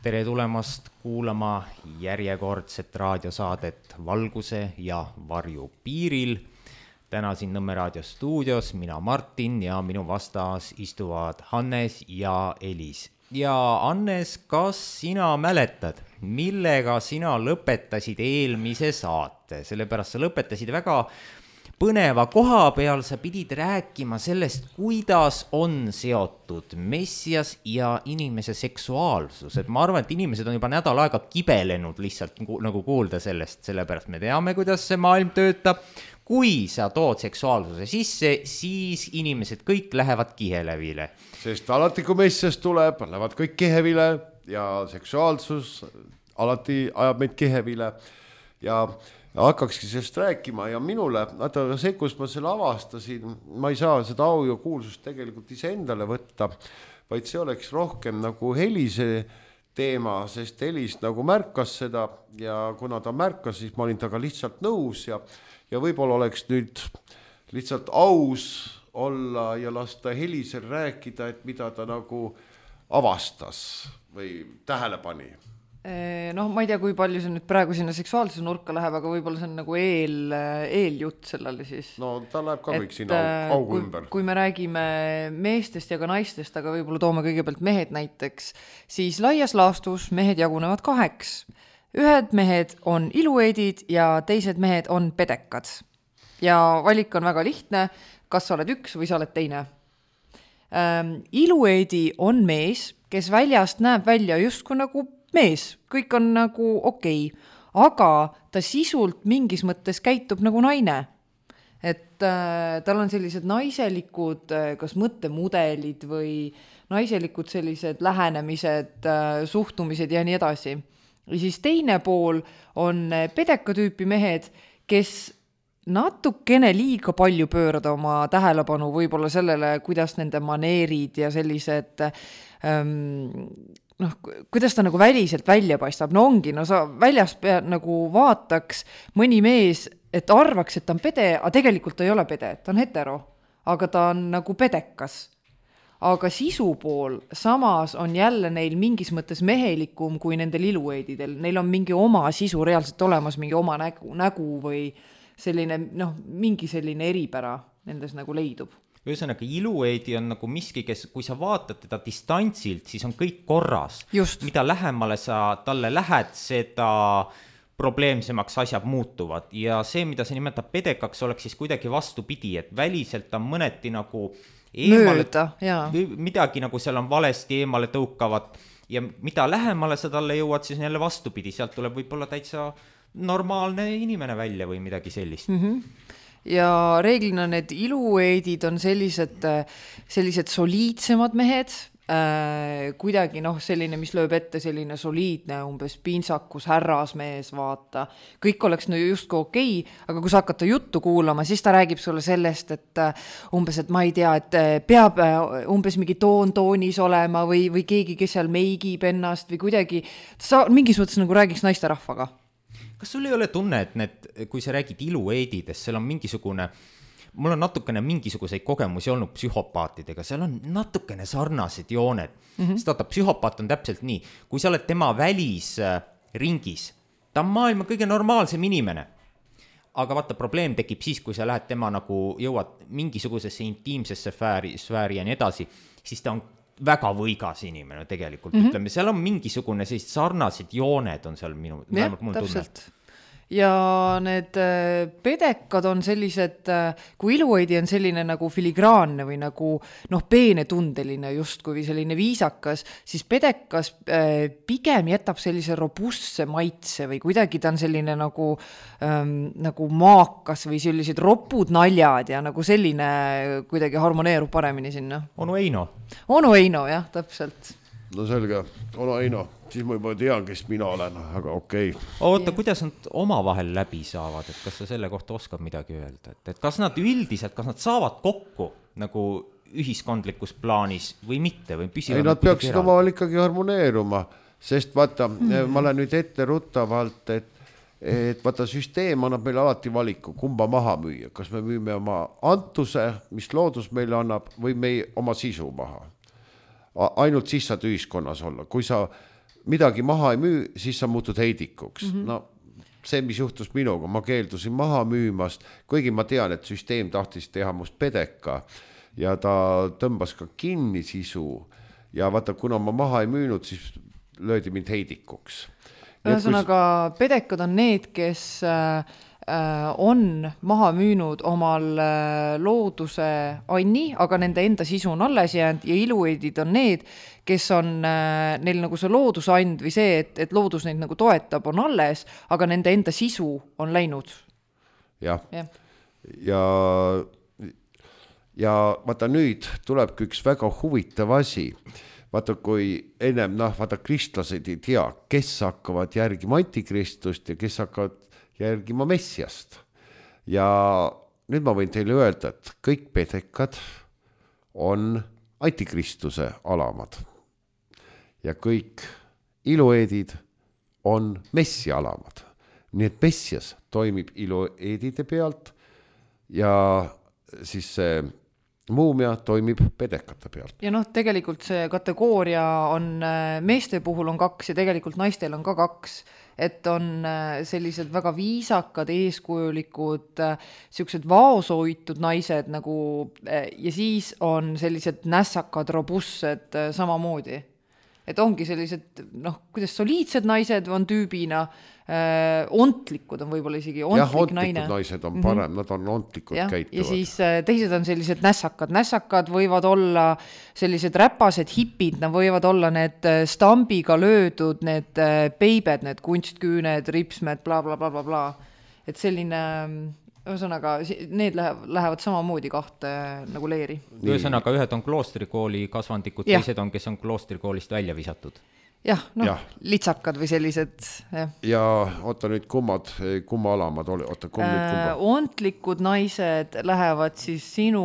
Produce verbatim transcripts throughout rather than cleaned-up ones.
tere tulemast kuulama järjekordset raadiosaadet Valguse ja varju piiril. Täna siin Nõmme raadio stuudios mina Martin ja minu vastas istuvad Hannes ja Elis. Ja Hannes, kas sina mäletad, millega sina lõpetasid eelmise saate? Sellepärast sa lõpetasid väga põneva koha peal, sa pidid rääkima sellest, kuidas on seotud messias ja inimese seksuaalsus. Et ma arvan, et inimesed on juba nädal aega kibelenud lihtsalt nagu kuulda sellest, sellepärast me teame, kuidas see maailm töötab. Kui sa tood seksuaalsuse sisse, siis inimesed kõik lähevad kihelevile. Sest alati, kui messias tuleb, lähevad kõik kihevile ja seksuaalsus alati ajab meid kihevile ja hakkakski sellest rääkima ja minule, vaata see, kus ma selle avastasin, ma ei saa seda au ja kuulsust tegelikult ise endale võtta, vaid see oleks rohkem nagu Helise teema, sest Helis nagu märkas seda ja kuna ta märkas, siis ma olin taga lihtsalt nõus ja, ja võib-olla oleks nüüd lihtsalt aus olla ja lasta Helisel rääkida, et mida ta nagu avastas või tähele pani. Noh, ma ei tea, kui palju see nüüd praegu sinna seksuaalsuse nurka läheb, aga võib-olla see on nagu eel, eeljutt sellele siis. No ta läheb ka kõik sinna augu kui, ümber. Kui me räägime meestest ja ka naistest, aga võib-olla toome kõigepealt mehed näiteks, siis laias laastus mehed jagunevad kaheks. Ühed mehed on ilueedid ja teised mehed on pedekad. Ja valik on väga lihtne, kas sa oled üks või sa oled teine. Ähm, ilueedi on mees, kes väljast näeb välja justkui nagu mees, kõik on nagu okei, aga ta sisult mingis mõttes käitub nagu naine. Et äh, tal on sellised naiselikud äh, kas mõttemudelid või naiselikud sellised lähenemised, äh, suhtumised ja nii edasi. Ja siis teine pool on pedeka tüüpi mehed, kes natukene liiga palju pöörada oma tähelepanu võib-olla sellele, kuidas nende maneerid ja sellised ähm, noh, kuidas ta nagu väliselt välja paistab, no ongi, no sa väljast pea, nagu vaataks mõni mees, et arvaks, et ta on pede, aga tegelikult ta ei ole pede, ta on hetero, aga ta on nagu pedekas. Aga sisu pool samas on jälle neil mingis mõttes mehelikum kui nendel ilueedidel. Neil on mingi oma sisu reaalselt olemas, mingi oma nägu, nägu või selline, noh, mingi selline eripära nendes nagu leidub. Ühesõnaga, ilueedi on nagu miski, kes, kui sa vaatad teda distantsilt, siis on kõik korras. Just. Mida lähemale sa talle lähed, seda probleemsemaks asjad muutuvad. Ja see, mida sa nimetab pedekaks, oleks siis kuidagi vastupidi, et väliselt on mõneti nagu eemale, mööda, jaa. midagi nagu seal on valesti eemale tõukavat ja mida lähemale sa talle jõuad, siis on jälle vastupidi. Sealt tuleb võib-olla täitsa normaalne inimene välja või midagi sellist. Mhm. Ja reeglina need ilueedid on sellised, sellised soliidsemad mehed, äh, kuidagi noh, selline, mis lööb ette selline soliidne, umbes pintsakus, härrasmees, vaata. Kõik oleks no justku okei, aga kui sa hakata juttu kuulama, siis ta räägib sulle sellest, et umbes, et ma ei tea, et peab umbes mingi toon toonis olema või, või keegi, kes seal meigib ennast või kuidagi, sa mingis mõttes nagu räägiks naiste rahvaga. Kas sul ei ole tunne, et need, kui sa räägid ilueedidest, seal on mingisugune, mul on natukene mingisuguseid kogemusi olnud psühhopaatidega, seal on natukene sarnased jooned. Mm-hmm. Sest vaata, psühhopaat on täpselt nii, kui sa oled tema välisringis, ta on maailma kõige normaalsem inimene. Aga vaata, probleem tekib siis, kui sa lähed tema nagu jõuad mingisugusesse intiimsesse sfääri, sfääri ja nii edasi, siis ta on väga võigas inimene tegelikult, mm-hmm. ütleme, seal on mingisugune sellist sarnased jooned on seal minu, ja, mul täpselt. Ja need pedekad on sellised, kui ilueedi on selline nagu filigraanne või nagu noh, peenetundeline justkui selline viisakas, siis pedekas pigem jätab sellise robustse maitse või kuidagi ta on selline nagu, ähm, nagu maakas või sellised ropud naljad ja nagu selline kuidagi harmoneerub paremini sinna. Onu Eino. Onu Eino, jah, täpselt. No selge, Ono Eino, siis ma juba tean, kes mina olen, aga okei. Okay. Oota, kuidas nad omavahel läbi saavad, et kas sa selle kohta oskab midagi öelda, et, et kas nad üldiselt, kas nad saavad kokku nagu ühiskondlikus plaanis või mitte või püsivad? Ei, nad peaksid omavahel ikkagi harmoneeruma, sest vaata, mm. ma olen nüüd ette ruttavalt, et, et vaata süsteem annab meile alati valiku, kumba maha müüa, kas me müüme oma antuse, mis loodus meile annab või me oma sisu maha. Ainult siis saad ühiskonnas olla. Kui sa midagi maha ei müü, siis sa muutud heidikuks. Mm-hmm. No see, mis juhtus minuga, ma keeldusin maha müümast, kuigi ma tean, et süsteem tahtis teha must pedeka ja ta tõmbas ka kinni sisu ja vaata, kuna ma maha ei müünud, siis löödi mind heidikuks. Ühesõnaga, pedekad on need, kes äh, on maha müünud omal äh, looduse anni, aga nende enda sisu on alles jäänud ja ilueedid on need, kes on äh, neil nagu see loodusand või see, et, et loodus neid nagu toetab, on alles, aga nende enda sisu on läinud. Jah. Ja, ja, ja vaata nüüd tulebki üks väga huvitav asi. Vaata, kui ennem, noh, vaata, kristlased ei tea, kes hakkavad järgima antikristust ja kes hakkavad järgima messiast. Ja nüüd ma võin teile öelda, et kõik pedekad on antikristuse alamad. Ja kõik ilueedid on messi alamad. Nii et messias toimib ilueedide pealt ja siis see muumia toimib pedekate pealt. Ja noh, tegelikult see kategooria on, meeste puhul on kaks ja tegelikult naistel on ka kaks, et on sellised väga viisakad, eeskujulikud, siuksed vaoshoitud naised nagu, ja siis on sellised nässakad, robussed samamoodi. Et ongi sellised, noh, kuidas soliidsed naised on tüübina, äh, ontlikud on võib-olla isegi, ontlik jah, ontlikud naine. naised on parem, mm-hmm. nad on ontlikud ja, käituvad. Ja siis äh, teised on sellised nässakad. Nässakad võivad olla sellised räpased hipid, nad võivad olla need stambiga löödud, need peibed, need kunstküüned, ripsmed, bla, bla, bla, bla, bla. Et selline... Ühesõnaga, need lähevad samamoodi kahte nagu leeri. Ühesõnaga, ühed on kloostrikooli kasvandikud, ja. Teised on, kes on kloostrikoolist välja visatud. Jah, noh, ja. Litsakad või sellised. Ja, ja oota nüüd kummad, kumma alamad oli? Oota, kumma nüüd kumma? Ontlikud naised lähevad siis sinu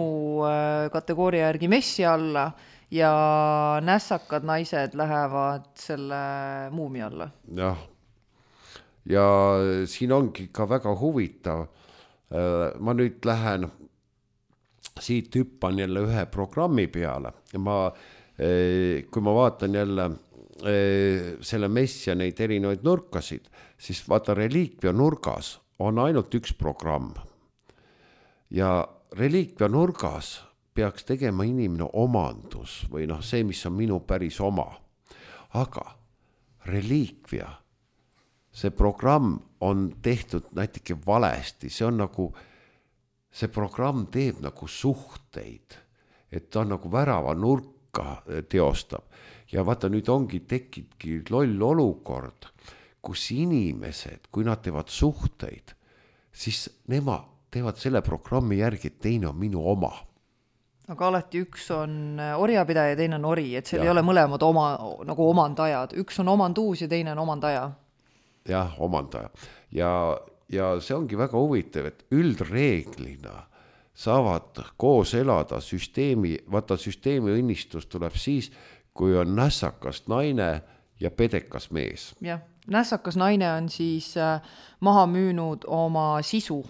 kategooria järgi messi alla ja nässakad naised lähevad selle muumi alla. Jah, ja siin ongi ka väga huvitav. Ma nüüd lähen siit hüppan jälle ühe programmi peale ja ma, kui ma vaatan jälle selle messia neid erinevaid nurkasid, siis vaata reliikvia nurgas on ainult üks programm ja reliikvia nurgas peaks tegema inimene omandus või noh, see, mis on minu päris oma, aga reliikvia see programm on tehtud näiteks valesti, see on nagu, see programm teeb nagu suhteid, et ta on nagu värava nurka teostab. Ja vaata, nüüd ongi tekibki loll olukord, kus inimesed, kui nad teevad suhteid, siis nemad teevad selle programmi järgi, et teine on minu oma. Aga alati üks on orjapidaja ja teine on ori, et seal ja. Ei ole mõlemad oma, nagu omandajad. Üks on omanduus ja teine on omandaja. Jah, omandaja. Ja, ja see ongi väga huvitav, et üldreeglina saavad koos elada süsteemi, vaata süsteemi õnnistus tuleb siis, kui on nässakas naine ja pedekas mees. Jah, nässakas naine on siis maha müünud oma sisu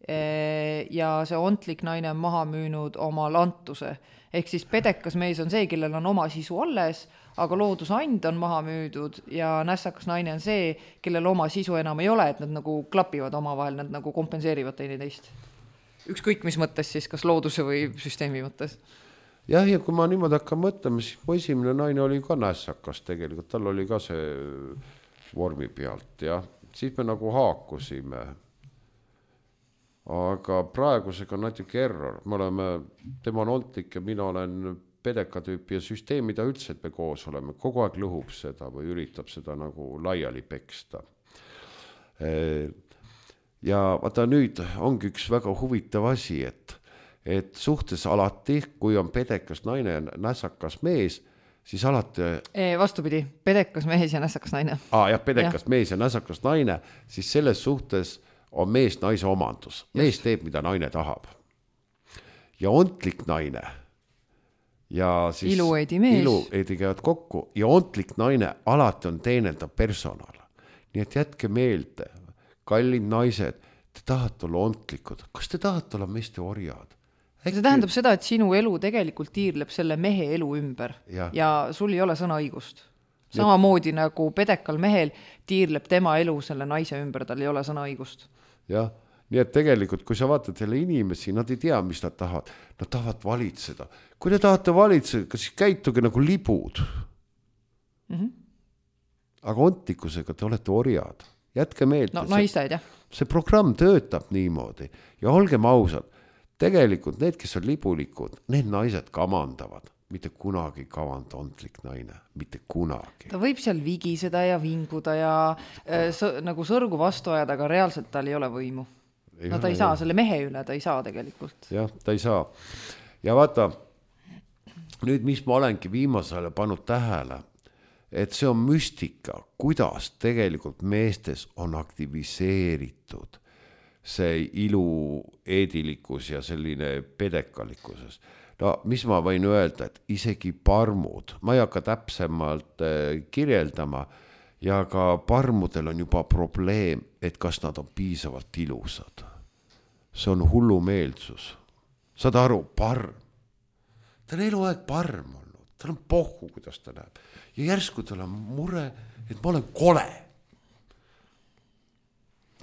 ja see ontlik naine on maha müünud oma lantuse. Ehk siis pedekas mees on see, kellel on oma sisu alles, aga loodusand on maha müüdud ja nässakas naine on see, kellel oma sisu enam ei ole, et nad nagu klapivad omavahel, nad nagu kompenseerivad teineteist. Ükskõik mis mõttes siis, kas looduse või süsteemi mõttes? Jah, ja kui ma niimoodi hakkan mõtlema, siis mu esimene naine oli ka nässakas tegelikult, tal oli ka see vormi pealt, jah. Siis me nagu haakusime. Aga praegusega on natuke error. Me oleme, tema on ontlik ja mina olen pedekatüüpi ja süsteemi ta üldse, et me koos oleme. Kogu aeg lõhub seda või üritab seda nagu laiali peksta. Ja vaata nüüd ongi üks väga huvitav asi, et, et suhtes alati, kui on pedekas naine ja nässakas mees, siis alati... E, vastupidi, pedekas mees ja nässakas naine. Aa, jah, pedekas ja. Mees ja nässakas naine, siis selles suhtes on mees naise omandus. Mees teeb, mida naine tahab. Ja ontlik naine ja siis ilueedi mees. Ilueedi käivad kokku ja ontlik naine alati on teenendav personal. Nii et jätke meelde, kallid naised, te tahate olla ontlikud. Kas te tahate olla meeste orjad? Äkki... See tähendab seda, et sinu elu tegelikult tiirleb selle mehe elu ümber ja, ja sul ei ole sõnaõigust. Samamoodi nagu pedekal mehel tiirleb tema elu selle naise ümber, tal ei ole sõnaõigust. Jah, nii et tegelikult, kui sa vaatad selle inimesi, nad ei tea, mis nad tahavad. Nad tahavad valitseda. Kui te tahate valitseda, siis käituge nagu libud. Mm-hmm. Aga ontlikkusega te olete orjad. Jätke meelde. No naised, jah. See programm töötab niimoodi. Ja olgem ausad, tegelikult need, kes on libulikud, need naised kamandavad. Mitte kunagi kavand ontlik naine. Mitte kunagi. Ta võib seal vigiseda ja vinguda ja äh, sõ, nagu sõrgu vastu ajada, aga reaalselt tal ei ole võimu. Ei no ta ole, ei saa jah. Selle mehe üle, ta ei saa tegelikult. Jah, ta ei saa. Ja vaata, nüüd mis ma olengi viimasele pannud tähele, et see on müstika, kuidas tegelikult meestes on aktiviseeritud see ilu eedilikkus ja selline pedekalikkuses. No mis ma võin öelda, et isegi parmud, ma ei hakka täpsemalt kirjeldama ja ka parmudel on juba probleem, et kas nad on piisavalt ilusad. See on hullumeelsus. Saad aru, parm. Ta on eluaeg parm olnud, tal on pohhu, kuidas ta näeb. Ja järsku tal on mure, et ma olen kole.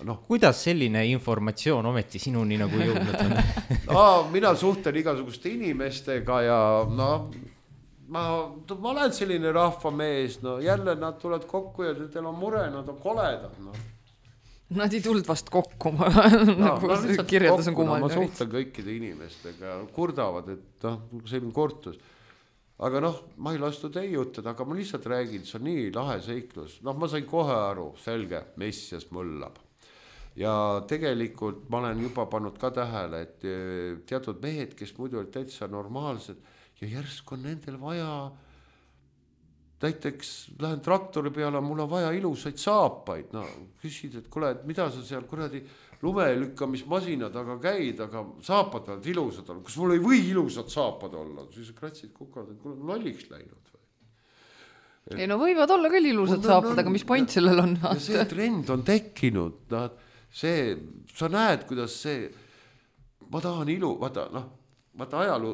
No. Kuidas selline informatsioon ometi sinuni nagu jõudnud on? no, mina suhtlen igasuguste inimestega ja no, ma, ma olen selline rahvamees, no jälle nad tulevad kokku ja teil on mure, nad on koledad. No. Nad ei tulnud vast kokku, ma no, nagu no, kirjeldas on kummaline. No, ma suhtlen kõikide inimestega, kurdavad, et no, selline kortus. Aga noh, ma ei lastu teiutada, aga ma lihtsalt räägin, see on nii lahe seiklus. Noh, ma sain kohe aru, selge, messias mõllab. Ja tegelikult ma olen juba pannud ka tähele, et teatud mehed, kes muidu olid täitsa normaalsed ja järsk on nendel vaja, näiteks lähen traktori peale, mul on vaja ilusaid saapaid. No, küsid, et kuule, et mida sa seal kuradi lumelükkamismasina taga käid, aga saapad on ilusad olla. Kas mul ei või ilusad saapad olla? Siis kratsid kukavad, et kuule, lolliks läinud või? Et... ei no võivad olla küll ilusad no, saapad, no, aga mis point sellel on? Ja see trend on tekkinud, nad see, sa näed, kuidas see, ma tahan ilu, vaata, noh, vaata ajalu,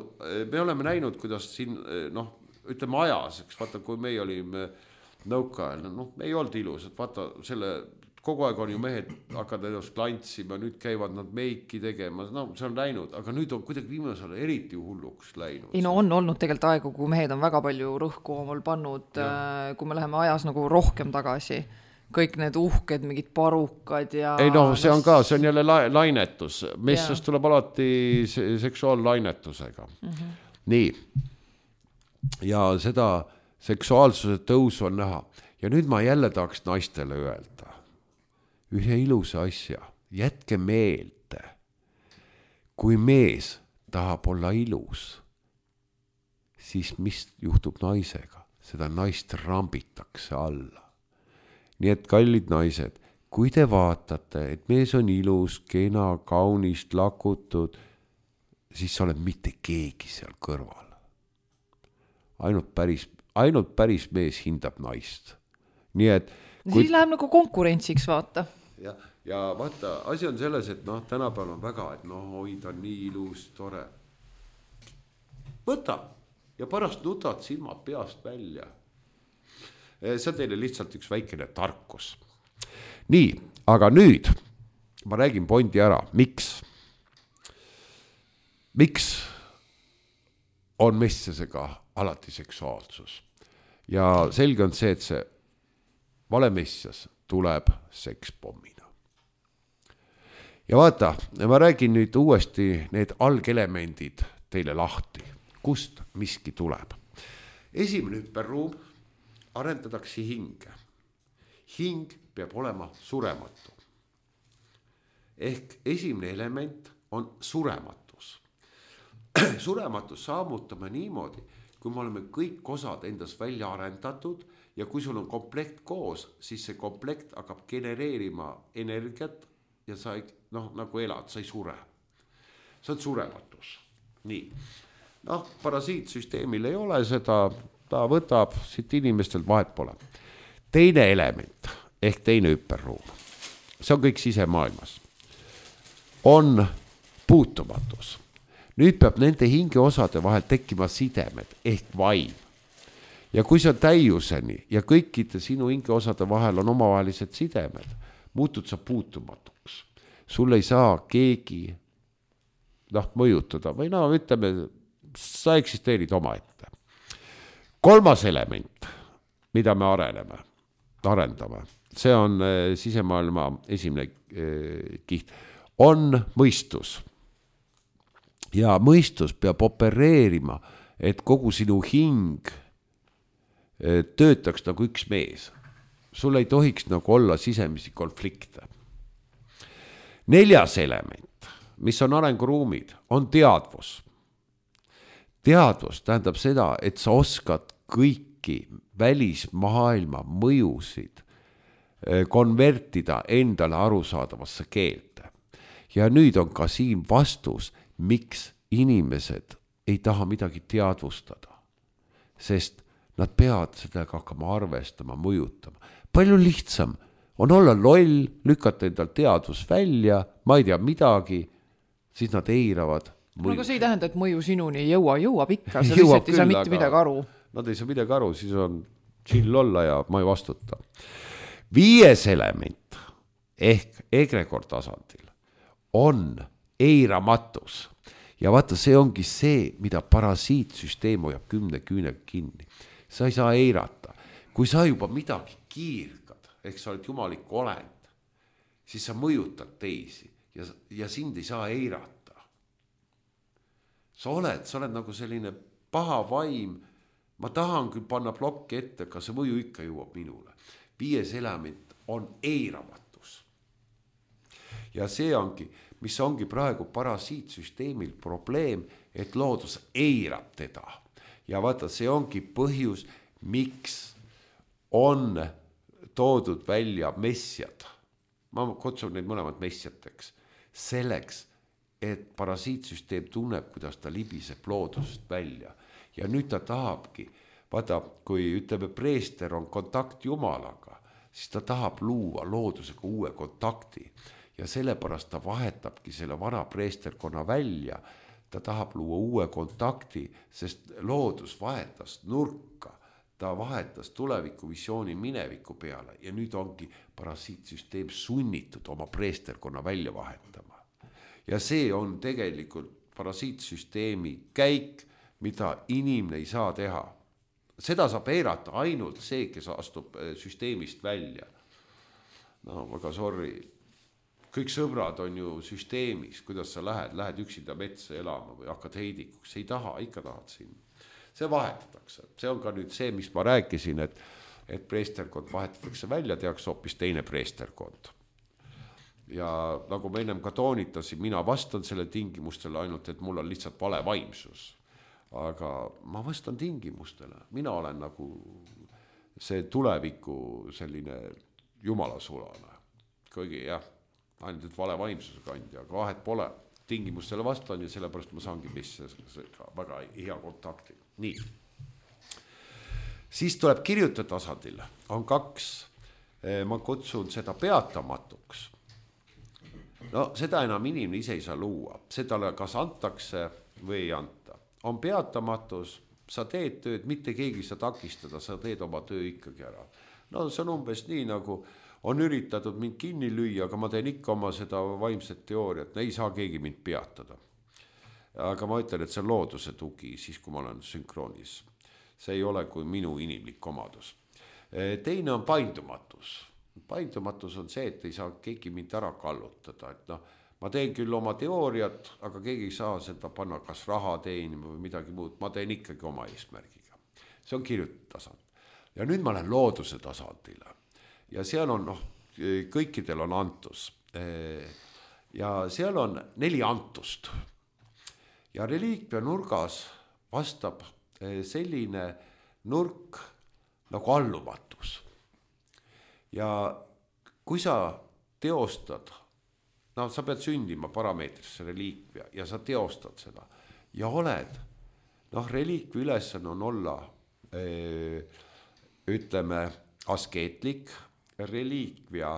me oleme näinud, kuidas siin, noh, ütleme ajas, eks, vaata, kui me olime nõukaajal, noh, me ei olnud ilusad, vaata, selle, kogu aeg on ju mehed hakkad ennast klantsima, nüüd käivad nad meiki tegema, no see on läinud, aga nüüd on kuidagi viimasel eriti hulluks läinud. ei no on olnud tegelikult aegu, kui mehed on väga palju rõhku omal pannud, ja. Kui me läheme ajas nagu rohkem tagasi. Kõik need uhked, mingid parukad ja... ei no, see on ka, see on jälle la- lainetus. Messast tuleb alati seksuaallainetusega. Mm-hmm. Nii. Ja seda seksuaalsuse tõusu on näha. Ja nüüd ma jälle tahaks naistele öelda. Ühe ilusa asja. Jätke meelde. Kui mees tahab olla ilus, siis mis juhtub naisega? Seda naist rambitakse alla. Nii et kallid naised, kui te vaatate, et mees on ilus, kena, kaunist, lakutud, siis sa oled mitte keegi seal kõrval. Ainult päris, ainult päris mees hindab naist. Nii et... Kui... siis läheb nagu konkurentsiks, vaata. Ja, ja vaata, asi on selles, et noh, tänapäeval on väga, et noh, oi, ta on nii ilus, tore. Võta ja pärast nutad silmad peast välja. See on teile lihtsalt üks väikene tarkus. Nii, aga nüüd ma räägin pointi ära. Miks? Miks on messiasega alati seksuaalsus? Ja selge on see, et see vale messias tuleb sekspommina. Ja vaata, ma räägin nüüd uuesti need algelemendid teile lahti. Kust miski tuleb? Esimene hüperruum arendatakse hinge. Hing peab olema surematu. Ehk esimene element on surematus. Surematus saamutame niimoodi, kui me oleme kõik osad endas välja arendatud ja kui sul on komplekt koos, siis see komplekt hakkab genereerima energiat ja sa ei, noh, nagu elad, sa ei sure. See on surematus. Nii. Noh, parasiitsüsteemil ei ole seda... ta võtab siit inimestelt vahet pole. Teine element, ehk teine hüperruum, see on kõik sisemaailmas, on puutumatus. Nüüd peab nende hingeosade vahel tekkima sidemed ehk vaim. ja kui sa täiuseni ja kõikide sinu hingeosade vahel on omavahelised sidemed, muutud sa puutumatuks. Sul ei saa keegi noh, mõjutada või no ütleme, sa eksisteerid omaette. Kolmas element, mida me areneme, arendame, see on sisemaailma esimene kiht, on mõistus. Ja mõistus peab opereerima, et kogu sinu hing töötaks nagu üks mees. Sul ei tohiks nagu olla sisemisi konflikte. Neljas element, mis on arenguruumid, on teadvus. Teadvus tähendab seda, et sa oskad kõiki välismaailma mõjusid konvertida endale arusaadavasse keelde. Ja nüüd on ka siin vastus, miks inimesed ei taha midagi teadvustada, sest nad peavad sellega hakkama arvestama, mõjutama. Palju lihtsam on olla loll, lükata endal teadvus välja, ma ei tea midagi, siis nad eiravad. No aga see ei tähenda, et mõju sinuni ei jõua, jõuab ikka, sa lihtsalt ei saa mitte midagi aru. Nad ei saa midagi aru, siis on chill olla ja ma ei vastuta. Viies element ehk egregor tasandil on eiramatus. Ja vaata, see ongi see, mida parasiitsüsteem hoiab kümne küünega kinni. Sa ei saa eirata. Kui sa juba midagi kiirgad, ehk sa oled jumalik olend, siis sa mõjutad teisi ja, ja sind ei saa eirata. Sa oled, sa oled nagu selline paha vaim, ma tahan küll panna plokki ette, aga see mõju ikka jõuab minule. Viies element on eiramatus. Ja see ongi, mis ongi praegu parasiitsüsteemil probleem, et loodus eirab teda. Ja vaata, see ongi põhjus, miks on toodud välja messiad. Ma kutsun neid mõlemad messiateks. Selleks, et parasiitsüsteem tunneb, kuidas ta libiseb loodusest välja. Ja nüüd ta tahabki, vaata, kui ütleme, preester on kontakt Jumalaga, siis ta tahab luua loodusega uue kontakti. Ja sellepärast ta vahetabki selle vana preesterkonna välja. Ta tahab luua uue kontakti, sest loodus vahetas nurka. Ta vahetas tulevikuvisiooni mineviku peale ja nüüd ongi parasiitsüsteem sunnitud oma preesterkonna välja vahetama. Ja see on tegelikult parasiitsüsteemi käik, mida inimene ei saa teha. Seda saab eirata ainult see, kes astub süsteemist välja. No, väga sorry. Kõik sõbrad on ju süsteemis, kuidas sa lähed, lähed üksinda metsa elama või hakkad heidikuks, ei taha, ikka tahad siin. See vahetatakse, see on ka nüüd see, mis ma rääkisin, et, et preesterkond vahetatakse välja, tehakse hoopis teine preesterkond. Ja nagu ma ennem ka toonitasin, mina vastan selle tingimustele ainult, et mul on lihtsalt vale vaimsus. Aga ma vastan tingimustele, mina olen nagu see tuleviku selline jumalasulane. Kõigi jah. Ainult vale vaimsuse kandja, aga vahet pole. Tingimustele vastan ja sellepärast ma saangi mis väga hea kontakti. Nii. Siis tuleb kirjuta tasandil. On kaks, ma kutsun seda peatamatuks. No seda enam inimene ise ei saa luua. Seda kas antakse või ei anta. On peatamatus, sa teed tööd, mitte keegi sa takistada, sa teed oma töö ikkagi ära. No see on umbes nii nagu on üritatud mind kinni lüüa, aga ma teen ikka oma seda vaimset teooriat, ei saa keegi mind peatada. Aga ma ütlen, et see on looduse tugi, siis kui ma olen sünkroonis. See ei ole kui minu inimlik omadus. Teine on paindumatus. Paindumatus on see, et ei saa keegi mind ära kallutada. Et no, ma teen küll oma teooriat, aga keegi ei saa seda panna kas raha teenima või midagi muud. Ma teen ikkagi oma eesmärgiga. See on kirjutasand. Ja nüüd ma olen looduse tasandile. Ja seal on, noh, kõikidel on antus. Ja seal on neli antust. Ja reliikvia nurgas vastab selline nurk nagu allumatus. Ja kui sa teostad, no sa pead sündima parameetrisse reliikvia ja sa teostad seda. Ja oled, noh, reliikvia ülesanne on olla, ütleme, askeetlik, reliikvia,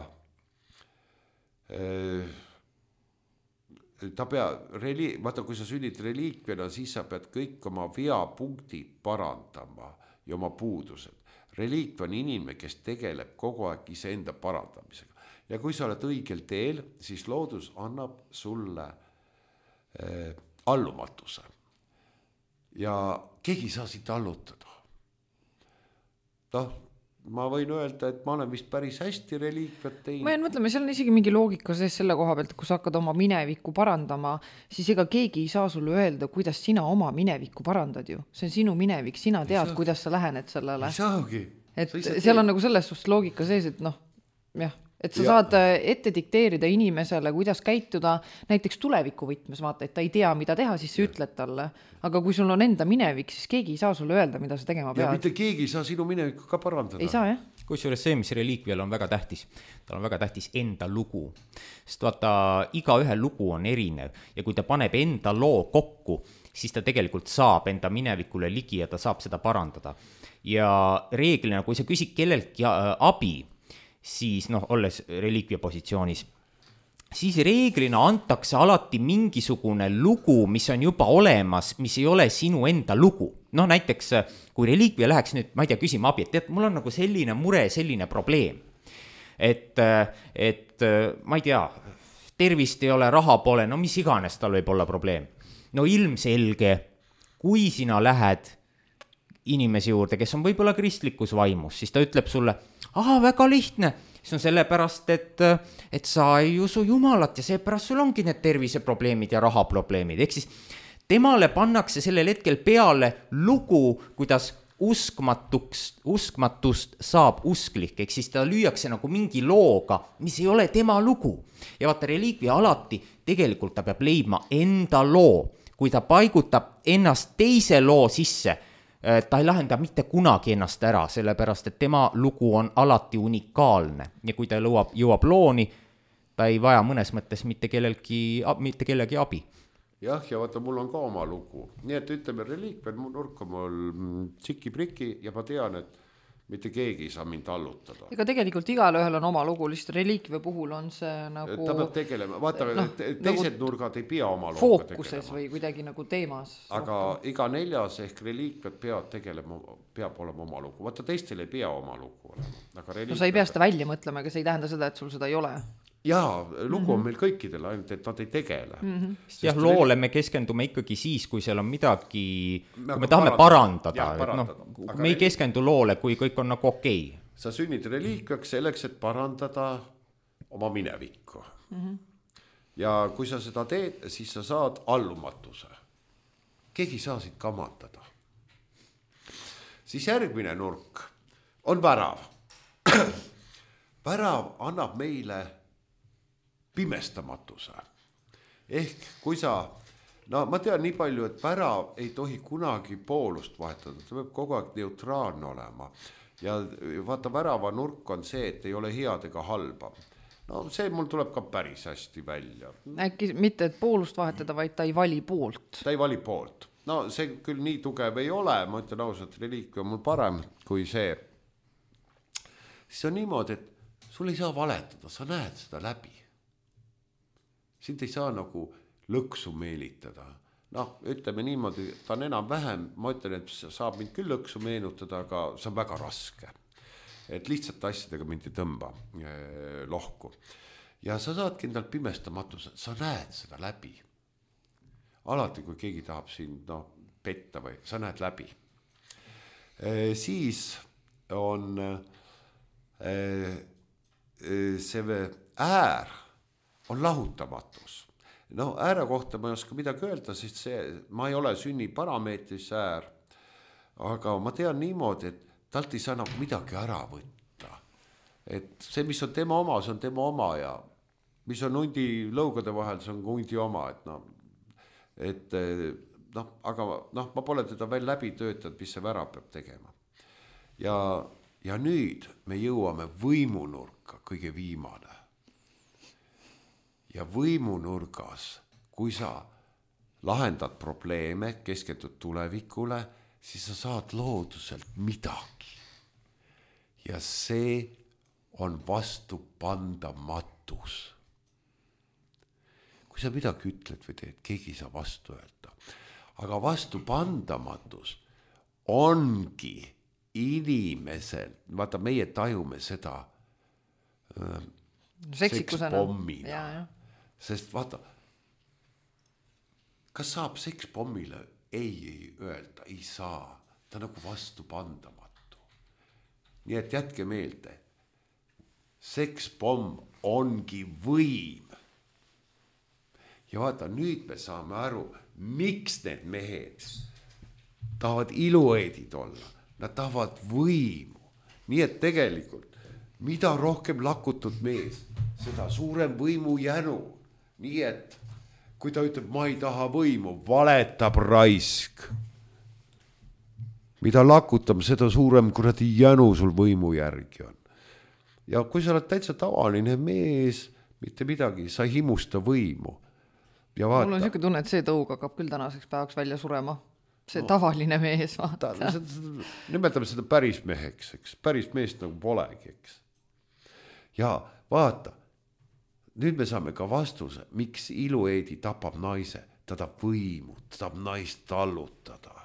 ta pea, reli, vaata, kui sa sünnid reliikviana, siis sa pead kõik oma veapunktid parandama ja oma puudused. Reliikv on inimene, kes tegeleb kogu aeg iseenda parandamisega. Ja kui sa oled õigel teel, siis loodus annab sulle äh, allumatuse. Ja keegi ei saa siit allutada. noh, ma võin öelda, et ma olen vist päris hästi reliikviat teinud. ma jään mõtlema, seal on isegi mingi loogika sees selle koha pealt, et kui sa hakkad oma minevikku parandama, siis ega keegi ei saa sulle öelda, kuidas sina oma minevikku parandad ju. See on sinu minevik, sina tead, kuidas sa lähened sellele. Ei saagi. Et seal on nagu selles suhtes loogika sees, et noh, jah, et sa ja. saad ette dikteerida inimesele, kuidas käituda, näiteks tuleviku võtmes, vaata, et ta ei tea, mida teha, siis sa ütled talle. Aga kui sul on enda minevik, siis keegi ei saa sulle öelda, mida sa tegema pead. Ja mitte keegi ei saa sinu minevikku ka parandada. Ei saa, jah. Kusjuures see, mis reliikvial on väga tähtis, tal on väga tähtis enda lugu. Sest vaata, iga ühe lugu on erinev ja kui ta paneb enda loo kokku, siis ta tegelikult saab enda minevikule ligi ja ta saab seda parandada. Ja reeglina, kui sa küsid kelleltki abi, siis noh, olles reliikvia positsioonis, siis reeglina antakse alati mingisugune lugu, mis on juba olemas, mis ei ole sinu enda lugu. Noh, näiteks, kui reliikvia läheks nüüd, ma ei tea, küsima abi, et tead, mul on nagu selline mure, selline probleem. Et, et ma ei tea, tervist ei ole, raha pole, no mis iganes tal võib olla probleem. No ilmselge, kui sina lähed inimese juurde, kes on võib-olla kristlikus vaimus, siis ta ütleb sulle, aha, väga lihtne, see on sellepärast, et, et sa ei usu Jumalat ja seepärast sul ongi need terviseprobleemid ja rahaprobleemid. Ehk siis temale pannakse sellel hetkel peale lugu, kuidas uskmatuks, uskmatust saab usklik, ehk siis ta lüüakse nagu mingi looga, mis ei ole tema lugu. Ja vaata, reliikvia alati tegelikult ta peab leidma enda loo, kui ta paigutab ennast teise loo sisse, ta ei lahenda mitte kunagi ennast ära, sellepärast, et tema lugu on alati unikaalne ja kui ta jõuab, jõuab looni, ta ei vaja mõnes mõttes mitte kellelgi, mitte kellegi abi. Jah, ja vaata, mul on ka oma lugu. Nii et ütleme, reliikvel nurk on mul tšiki-priki ja ma tean, et mitte keegi ei saa mind allutada. Ega tegelikult igal ühel on oma lugu, lihtsalt reliikvia puhul on see nagu... Ta peab tegelema, vaata, no, teised nagu nurgad ei pea oma looga tegelema. Fookuses või kuidagi nagu teemas. Aga rohkem. Iga neljas ehk reliikviad peab tegelema, peab olema oma lugu. Vaata, teistel ei pea oma lugu olema. Aga no sa ei pea seda välja mõtlema, aga see ei tähenda seda, et sul seda ei ole. Jaa, lugu on meil kõikidel, ainult et nad ei tegele. Mm-hmm. Jah, loole me keskendume ikkagi siis, kui seal on midagi, kui me tahame parandada. parandada. Et no, me ei reliik... keskendu loole, kui kõik on nagu okei. Okay. Sa sünnid reliikviaks selleks, et parandada oma minevikku. Mm-hmm. Ja kui sa seda teed, siis sa saad allumatuse. Keegi saa siit kamandada. Siis järgmine nurk on värav. Värav annab meile pimestamatuse. Ehk kui sa, no ma tean nii palju, et värav ei tohi kunagi poolust vahetada, ta peab kogu aeg neutraalne olema. Ja vaata, värava nurk on see, et ei ole head ega halba. No see mul tuleb ka päris hästi välja. Äkki mitte, et poolust vahetada, vaid ta ei vali poolt. Ta ei vali poolt. No see küll nii tugev ei ole, ma ütlen ausalt, reliikvia on mul parem kui see. Siis on niimoodi, et sul ei saa valetada, sa näed seda läbi. Sind ei saa nagu lõksu meelitada. Noh, ütleme niimoodi, ta on enam vähem, ma ütlen, et saab mind küll lõksu meenutada, aga see on väga raske. Et lihtsalt asjadega mind ei tõmba eh, lohku. Ja sa saadki endal pimestamatuse, sa näed seda läbi. Alati, kui keegi tahab sind no, petta või, sa näed läbi. E, siis on e, see äär on lahutamatus. No ääre kohta ma ei oska midagi öelda, sest see, ma ei ole sünni parameetris äär, aga ma tean niimoodi, et talt ei saa nagu midagi ära võtta. Et see, mis on tema oma, see on tema oma ja mis on hundi lõugade vahel, see on hundi oma, et noh, et noh, aga noh, ma pole teda veel läbi töötanud, mis see värav peab tegema. Ja, ja nüüd me jõuame võimunurka, kõige viimane. Ja võimunurgas, kui sa lahendad probleeme, keskendud tulevikule, siis sa saad looduselt midagi. Ja see on vastupandamatus. Kui sa midagi ütled või teed, keegi ei saa vastu öelda. Aga vastupandamatus ongi inimesel, vaata meie tajume seda äh, sekspommina, sest vaata, kas saab sekspommile ei, ei öelda, ei saa, ta nagu vastu pandamatu. Nii et jätke meelde, sekspomm ongi võim. Ja vaata, nüüd me saame aru, miks need mehed tahavad ilueedid olla. Nad tahavad võimu. Nii et tegelikult, mida rohkem lakutud mees, seda suurem võimu jänu. Nii et, kui ta ütleb, ma ei taha võimu, valetab raisk. Mida lakutab, seda suurem kuradi jänu sul võimu järgi on. Ja kui sa oled täitsa tavaline mees, mitte midagi, sa ei himusta võimu. Ja vaata. Mul on siuke tunne, et see tõug hakkab küll tänaseks päevaks välja surema. See no, tavaline mees, vaata. Ta, seda, nimetame seda päris meheks, eks. Päris meest nagu polegi, eks. Ja vaata, nüüd me saame ka vastuse, miks ilueedi tapab naise. Ta tahab võimu, ta tahab naist tallutada.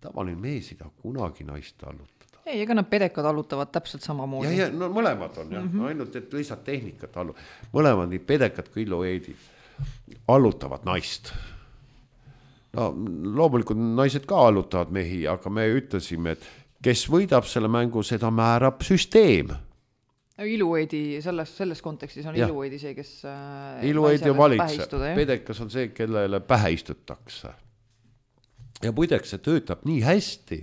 Tavaline mees ei taha kunagi naist tallutada. Ei, ega nad pedekad allutavad täpselt samamoodi. Ja, ja no mõlemad on, jah. Mm-hmm. Ainult, et lihtsalt tehnikat allu. Mõlemad nii pedekad kui ilueedid allutavad naist. No, loomulikult naised ka allutavad mehi, aga me ütlesime, et kes võidab selle mängu, seda määrab süsteem. Ilueedi, selles, selles kontekstis on ja. Ilueedi see, kes ilueedi on valitse. Pedekas on see, kellele pähe istutakse. Ja muideks see töötab nii hästi,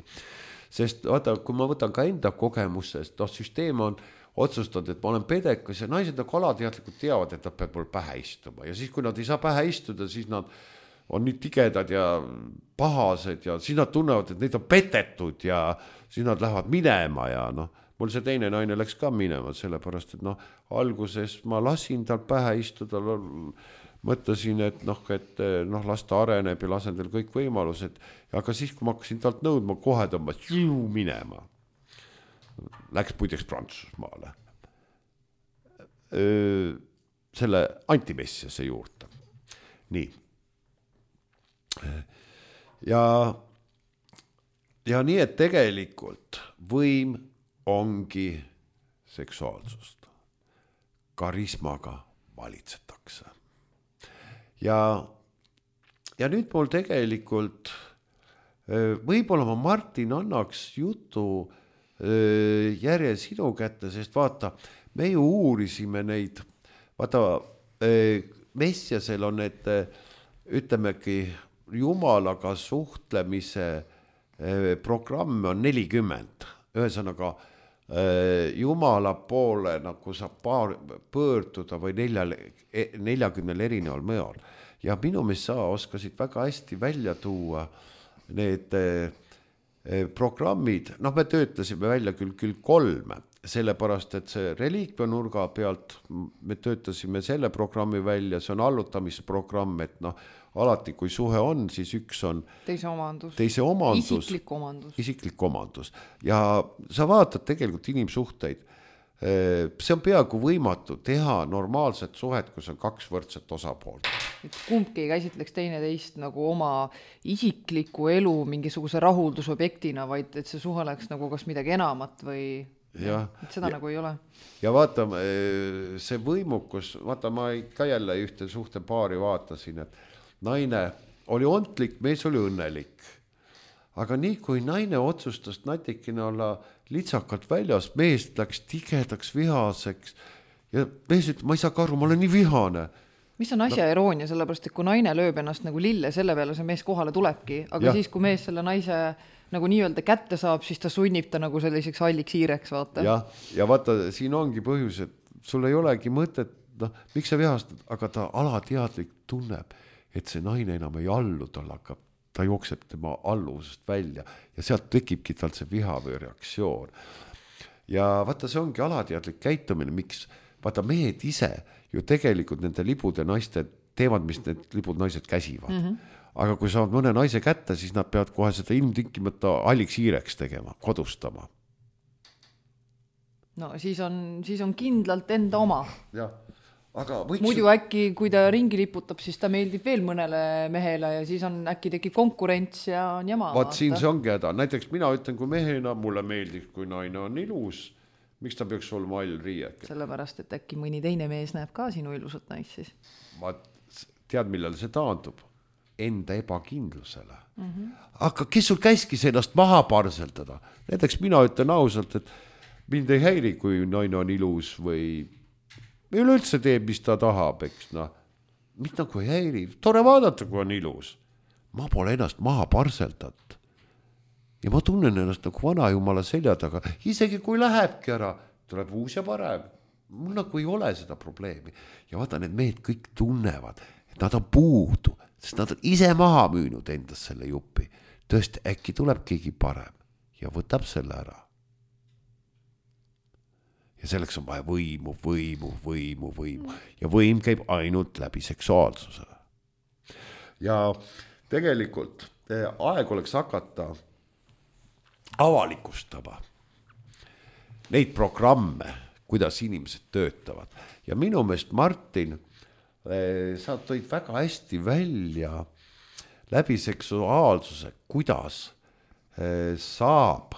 sest vaata, kui ma võtan ka enda kogemusest, noh, süsteem on otsustanud, et ma olen pedekas ja naised nagu alateadlikult teavad, et nad peavad mul pähe istuma. Ja siis, kui nad ei saa pähe istuda, siis nad on nii tigedad ja pahased ja siis nad tunnevad, et neid on petetud ja siis nad lähevad minema ja noh, mul see teine naine läks ka minema, sellepärast, et noh, alguses ma lasin tal pähe istuda, mõtlesin, et noh, et noh, las ta areneb ja lasen teil kõik võimalused, aga siis, kui ma hakkasin talt nõudma, kohe tõmbas minema. Läks puideks Prantsusmaale. Öö, selle antimessiase juurde. Nii. Ja, ja nii, et tegelikult võim ongi seksuaalsust. Karismaga valitsetakse. Ja, ja nüüd mul tegelikult võib-olla ma Martin annaks jutu järje sinu kätte, sest vaata, me ju uurisime neid, vaata, Messiasel on need, ütlemegi, jumalaga suhtlemise programm on nelikümmend. Ühesõnaga, jumala poole nagu saab paar, pöörduda või neljal, neljakümnel erineval mõjal. Ja minu meelest sa oskasid väga hästi välja tuua need programmid, noh, me töötasime välja küll, küll kolme, sellepärast, et see reliikvia nurga pealt me töötasime selle programmi välja, see on allutamisprogramm, et noh, alati kui suhe on, siis üks on teise omandus, teise omandus isiklik omandus. Isiklik omandus. Ja sa vaatad tegelikult inimsuhteid, see on peaaegu võimatu teha normaalset suhet, kus on kaks võrdset osapoolt. Et kumbki ei käsitleks teine teist nagu oma isikliku elu mingisuguse rahuldusobjektina, vaid et see suhe oleks nagu kas midagi enamat või ja, et seda ja, nagu ei ole. Ja vaata, see võimukus, vaata, ma ka jälle ühte suhte paari vaatasin, et naine oli ontlik, mees oli õnnelik. Aga nii kui naine otsustas natikene olla litsakalt väljas, mees läks tigedaks vihaseks ja mees ütleb, ma ei saa ka aru, ma olen nii vihane. Mis on asja no. Iroonia, sellepärast, et kui naine lööb ennast nagu lille, selle peale see mees kohale tulebki, aga ja. Siis, kui mees selle naise nagu nii-öelda kätte saab, siis ta sunnib ta nagu selliseks halliks hiireks, vaata. Ja, ja vaata, siin ongi põhjus, et sul ei olegi mõtet, noh, miks sa vihastad, aga ta alateadlik tunneb, et see naine enam ei allu, tal hakkab, ta jookseb tema alluvusest välja ja sealt tekibki tal see viha või reaktsioon. Ja vaata, see ongi alateadlik käitumine, miks, vaata, mehed ise ju tegelikult nende libude naiste teevad, mis need libud naised käsivad. Mm-hmm. Aga kui saavad mõne naise kätte, siis nad peavad kohe seda ilmtinkimata halliks hiireks tegema, kodustama. No siis on, siis on kindlalt enda oma. Ja. aga võiks... muidu äkki, kui ta ringi liputab, siis ta meeldib veel mõnele mehele ja siis on äkki tekib konkurents ja on jama. Vaat siin see ongi häda. Näiteks mina ütlen, kui mehena mulle meeldiks, kui naine on ilus, miks ta peaks olema all riiek? Sellepärast, et äkki mõni teine mees näeb ka sinu ilusat naist siis. Ma tead, millal see taandub? Enda ebakindlusele. Mm-hmm. Aga kes sul käiskis ennast maha parseldada? Näiteks mina ütlen ausalt, et mind ei häiri, kui naine on ilus või üleüldse teeb, mis ta tahab, eks noh. Mis nagu ei häiri? Tore vaadata, kui on ilus. Ma pole ennast maha parseldat. Ja ma tunnen ennast nagu vana jumala selja taga. Isegi kui lähebki ära, tuleb uus ja parem. Mul nagu ei ole seda probleemi. Ja vaata, need mehed kõik tunnevad, et nad on puudu. Sest nad on ise maha müünud endast selle jupi. Tõesti, äkki tuleb keegi parem ja võtab selle ära. Ja selleks on vaja võimu, võimu, võimu, võimu. Ja võim käib ainult läbi seksuaalsuse. Ja tegelikult aeg oleks hakata avalikustama neid programme, kuidas inimesed töötavad. Ja minu meelest Martin... sa tõid väga hästi välja läbi seksuaalsuse, kuidas saab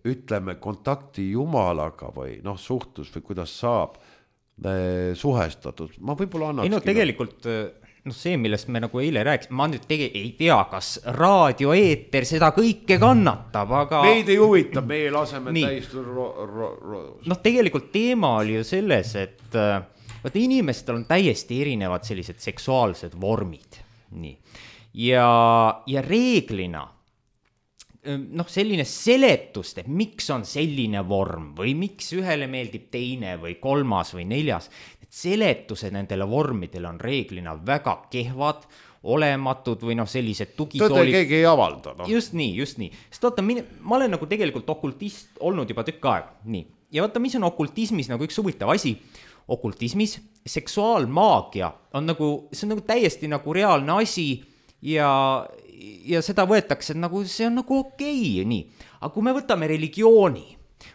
ütleme kontakti Jumalaga või noh, suhtlus või kuidas saab suhestatud. Ma võib-olla annakski... Ei no tegelikult no see, millest me nagu eile rääkisime, ma nüüd tege, ei tea, kas raadioeeter seda kõike kannatab, aga... Meid ei huvita, meie laseme täist ro- ro- ro- noh, tegelikult teema oli ju selles, et vaata, inimestel on täiesti erinevad sellised seksuaalsed vormid. Nii. Ja, ja reeglina, noh, selline seletust, et miks on selline vorm või miks ühele meeldib teine või kolmas või neljas, et seletused nendele vormidele on reeglina väga kehvad, olematud või noh, sellised tugitoolid. Tõde keegi ei avalda. No. Just nii, just nii. Sest vaata, ma olen nagu tegelikult okultist olnud juba tükk aeg. Nii. Ja vaata, mis on okultismis nagu üks huvitav asi. Okultismis seksuaalmaagia on nagu, see on nagu täiesti nagu reaalne asi ja, ja seda võetakse nagu, see on nagu okei, nii. Aga kui me võtame religiooni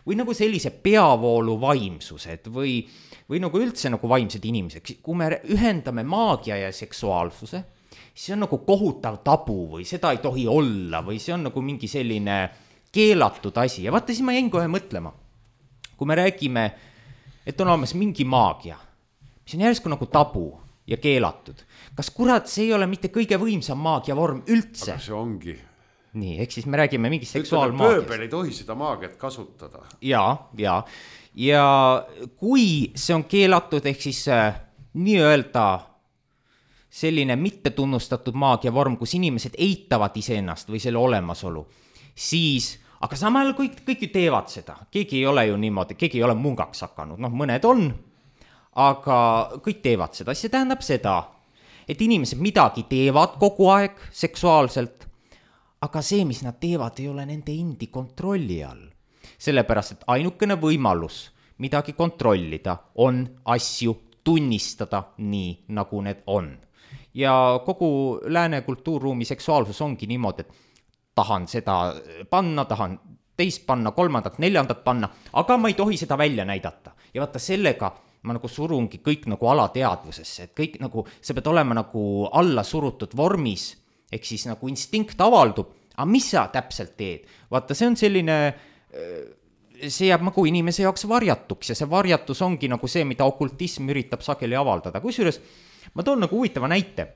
või nagu sellise peavoolu vaimsused või, või nagu üldse nagu vaimsed inimesed, kui me ühendame maagia ja seksuaalsuse, see on nagu kohutav tabu või seda ei tohi olla või see on nagu mingi selline keelatud asi. Ja vaata, siis ma jäin kohe mõtlema, kui me räägime et on olemas mingi maagia, mis on järsku nagu tabu ja keelatud. Kas kurat, see ei ole mitte kõige võimsam maagia vorm üldse? Aga see ongi. Nii, ehk siis me räägime mingi seksuaalmaagiast. Pööbel ei tohi seda maagiat kasutada. Ja, ja. Ja kui see on keelatud, ehk siis äh, nii-öelda selline mittetunnustatud maagia vorm, kus inimesed eitavad iseennast või selle olemasolu, siis... Aga samal kõik, kõik ju teevad seda. Keegi ei ole ju niimoodi, keegi ei ole mungaks hakanud. Noh, mõned on, aga kõik teevad seda. See tähendab seda, et inimesed midagi teevad kogu aeg seksuaalselt, aga see, mis nad teevad, ei ole nende endi kontrolli all. Sellepärast, et ainukene võimalus midagi kontrollida on asju tunnistada nii, nagu need on. Ja kogu lääne kultuurruumi seksuaalsus ongi niimoodi, et tahan seda panna, tahan teist panna, kolmandat, neljandat panna, aga ma ei tohi seda välja näidata. Ja vaata sellega ma nagu surungi kõik nagu alateadvusesse, et kõik nagu, see pead olema nagu alla surutud vormis, ehk siis nagu instinkt avaldub, aga mis sa täpselt teed? Vaata, see on selline, see jääb nagu inimese jaoks varjatuks ja see varjatus ongi nagu see, mida okultism üritab sageli avaldada. Kusjuures ma toon nagu huvitava näite.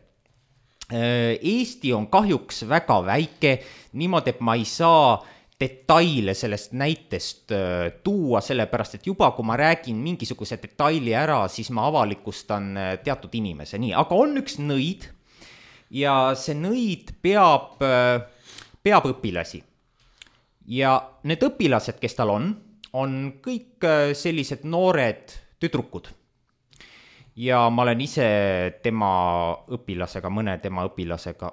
Eesti on kahjuks väga väike, niimoodi, et ma ei saa detaile sellest näitest tuua, sellepärast, et juba kui ma räägin mingisuguse detaili ära, siis ma avalikustan teatud inimese. Nii, aga on üks nõid ja see nõid peab, peab õpilasi. Ja need õpilased, kes tal on, on kõik sellised noored tüdrukud. Ja ma olen ise tema õpilasega, mõne tema õpilasega,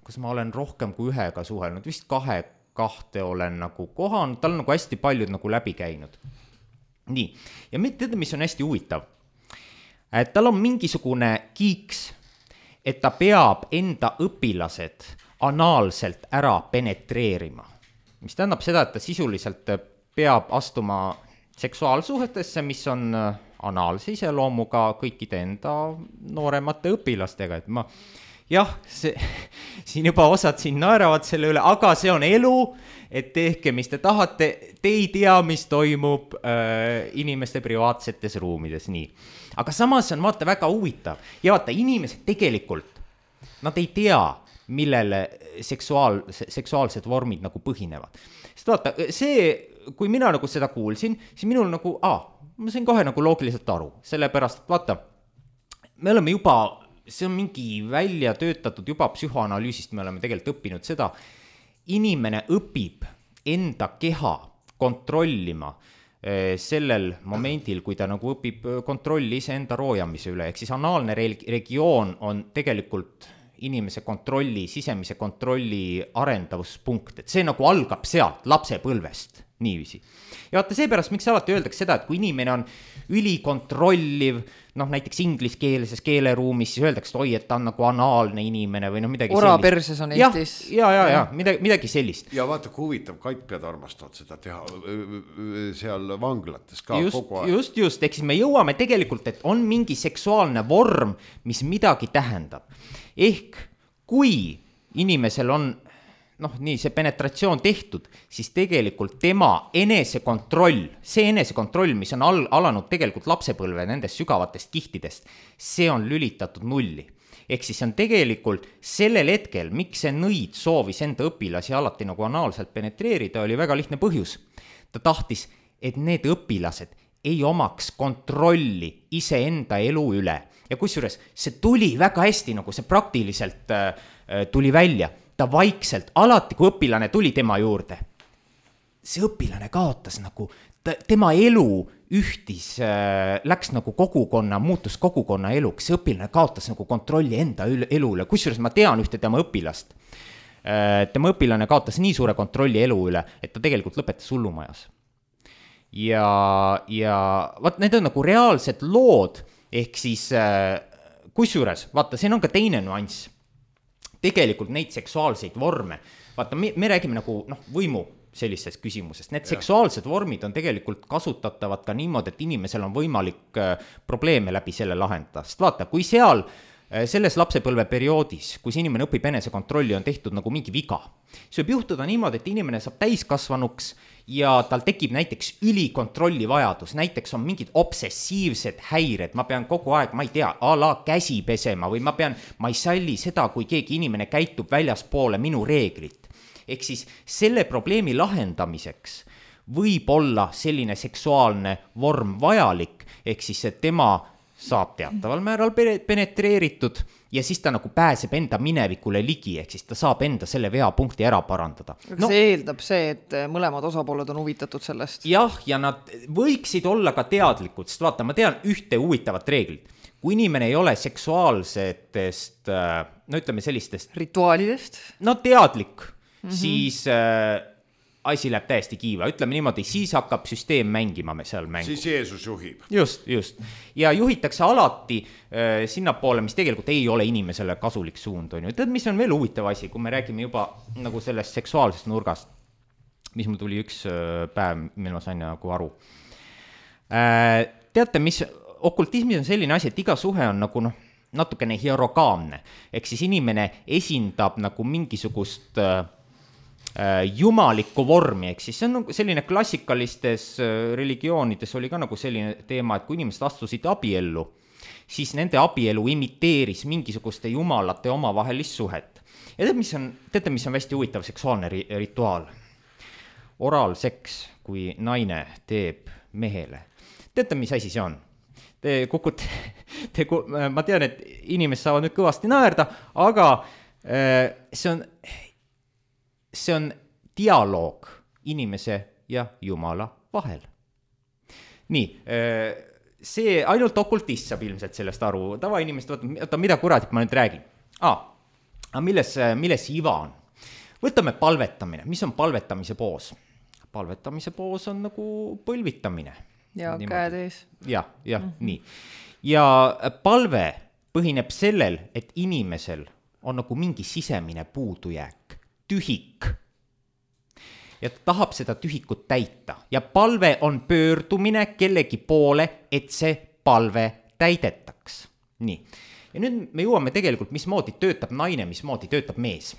kas ma olen rohkem kui ühega suhelnud, vist kahe, kahte olen nagu kohanud, tal on nagu hästi paljud nagu läbi käinud. Nii, ja teada, mis on hästi huvitav. Et tal on mingisugune kiiks, et ta peab enda õpilased anaalselt ära penetreerima. Mis tähendab seda, et ta sisuliselt peab astuma seksuaalsuhetesse, mis on anaalse iseloomuga kõikide enda nooremate õpilastega, et ma jah, see, siin juba osad siin naeravad selle üle, aga see on elu, et tehke, mis te tahate, te ei tea, mis toimub äh, inimeste privaatsetes ruumides, nii. Aga samas on vaata väga huvitav ja vaata, inimesed tegelikult, nad ei tea, millele seksuaal, seksuaalsed vormid nagu põhinevad. Sest vaata, see, kui mina nagu seda kuulsin, siis minul nagu, aa, ma sain kohe nagu loogiliselt aru, sellepärast, et vaata, me oleme juba, see on mingi välja töötatud juba psühhoanalüüsist, me oleme tegelikult õppinud seda, inimene õpib enda keha kontrollima sellel momendil, kui ta nagu õpib kontrolli iseenda roojamise üle, ehk siis anaalne regioon on tegelikult inimese kontrolli, sisemise kontrolli arendavuspunkt, et see nagu algab sealt lapsepõlvest, niiviisi. Ja vaata seepärast, miks alati öeldakse seda, et kui inimene on ülikontrolliv, noh näiteks ingliskeelses keeleruumis, siis öeldakse, et oi, et ta on nagu anaalne inimene või noh midagi Ora sellist. perses on Eestis. Ja, ja, ja, ja midagi, midagi sellist. Ja vaata, kui huvitav, kaitpead armastavad seda teha seal vanglates ka just, kogu aeg. Just, just, eks siis me jõuame tegelikult, et on mingi seksuaalne vorm, mis midagi tähendab. Ehk kui inimesel on noh, nii see penetratsioon tehtud, siis tegelikult tema enesekontroll, see enesekontroll, mis on al- alanud tegelikult lapsepõlve nendest sügavatest kihtidest, see on lülitatud nulli. Ehk siis on tegelikult sellel hetkel, miks see nõid soovis enda õpilasi alati nagu anaalselt penetreerida, oli väga lihtne põhjus. Ta tahtis, et need õpilased ei omaks kontrolli iseenda elu üle. Ja kusjuures see tuli väga hästi, nagu see praktiliselt äh, tuli välja. Ta vaikselt, alati kui õpilane tuli tema juurde, see õpilane kaotas nagu, ta, tema elu ühtis, äh, läks nagu kogukonna, muutus kogukonna eluks, see õpilane kaotas nagu kontrolli enda elu üle, kusjuures ma tean ühte tema õpilast. Äh, tema õpilane kaotas nii suure kontrolli elu üle, et ta tegelikult lõpetas hullumajas. Ja, ja vaat need on nagu reaalsed lood, ehk siis äh, kusjuures, vaata, siin on ka teine nüanss. Tegelikult neid seksuaalseid vorme, vaata, me, me räägime nagu noh, võimu sellisest küsimusest. Need ja. seksuaalsed vormid on tegelikult kasutatavad ka niimoodi, et inimesel on võimalik äh, probleeme läbi selle lahendada. Sest vaata, kui seal äh, selles lapsepõlve perioodis, kui see inimene õpib enesekontrolli, on tehtud nagu mingi viga, siis võib juhtuda niimoodi, et inimene saab täiskasvanuks ja tal tekib näiteks ülikontrolli vajadus, näiteks on mingid obsessiivsed häired, ma pean kogu aeg, ma ei tea, a la käsi pesema või ma pean, ma ei salli seda, kui keegi inimene käitub väljaspoole minu reeglit. Ehk siis selle probleemi lahendamiseks võib olla selline seksuaalne vorm vajalik, ehk siis et tema saab teataval määral penetreeritud ja siis ta nagu pääseb enda minevikule ligi, ehk siis ta saab enda selle veapunkti ära parandada. No, see eeldab see, et mõlemad osapooled on huvitatud sellest. Jah, ja nad võiksid olla ka teadlikud, sest vaata, ma tean ühte huvitavat reeglit. Kui inimene ei ole seksuaalsetest, no ütleme sellistest rituaalidest, no teadlik, mm-hmm. siis äh, asi läheb täiesti kiiva, ütleme niimoodi, siis hakkab süsteem mängima me seal mängu. Siis Jeesus juhib. Just, just. Ja juhitakse alati äh, sinnapoole, mis tegelikult ei ole inimesele kasulik suund. On ju. Tead, mis on veel huvitav asi, kui me räägime juba nagu sellest seksuaalsest nurgast, mis mul tuli üks äh, päev, mil ma sain nagu aru. Äh, teate, mis okultismis on selline asi, et iga suhe on nagu noh, natukene hierogaamne. Ehk siis inimene esindab nagu mingisugust äh, jumalikku vormi, ehk siis see on selline klassikalistes religioonides oli ka nagu selline teema, et kui inimesed astusid abiellu, siis nende abielu imiteeris mingisuguste jumalate omavahelist suhet. Ja tead, mis on, teate, mis on hästi huvitav seksuaalne ri- rituaal? Oraalseks, kui naine teeb mehele. Teate, mis asi see on? Te kukute, te, ma tean, et inimesed saavad nüüd kõvasti naerda, aga see on see on dialoog inimese ja Jumala vahel. Nii, see ainult okultist saab ilmselt sellest aru. Tavainimest, vaata, mida kuratit ma nüüd räägin? Ah, milles, milles iva on? Võtame palvetamine. Mis on palvetamise poos? Palvetamise poos on nagu põlvitamine. Ja niimoodi. Käed ees. Ja, ja, mm-hmm. nii. Ja palve põhineb sellel, et inimesel on nagu mingi sisemine puudujääk. Tühik. Ja ta tahab seda tühikut täita. Ja palve on pöördumine kellegi poole, et see palve täidetaks. Nii. Ja nüüd me jõuame tegelikult, mismoodi töötab naine, mismoodi töötab mees.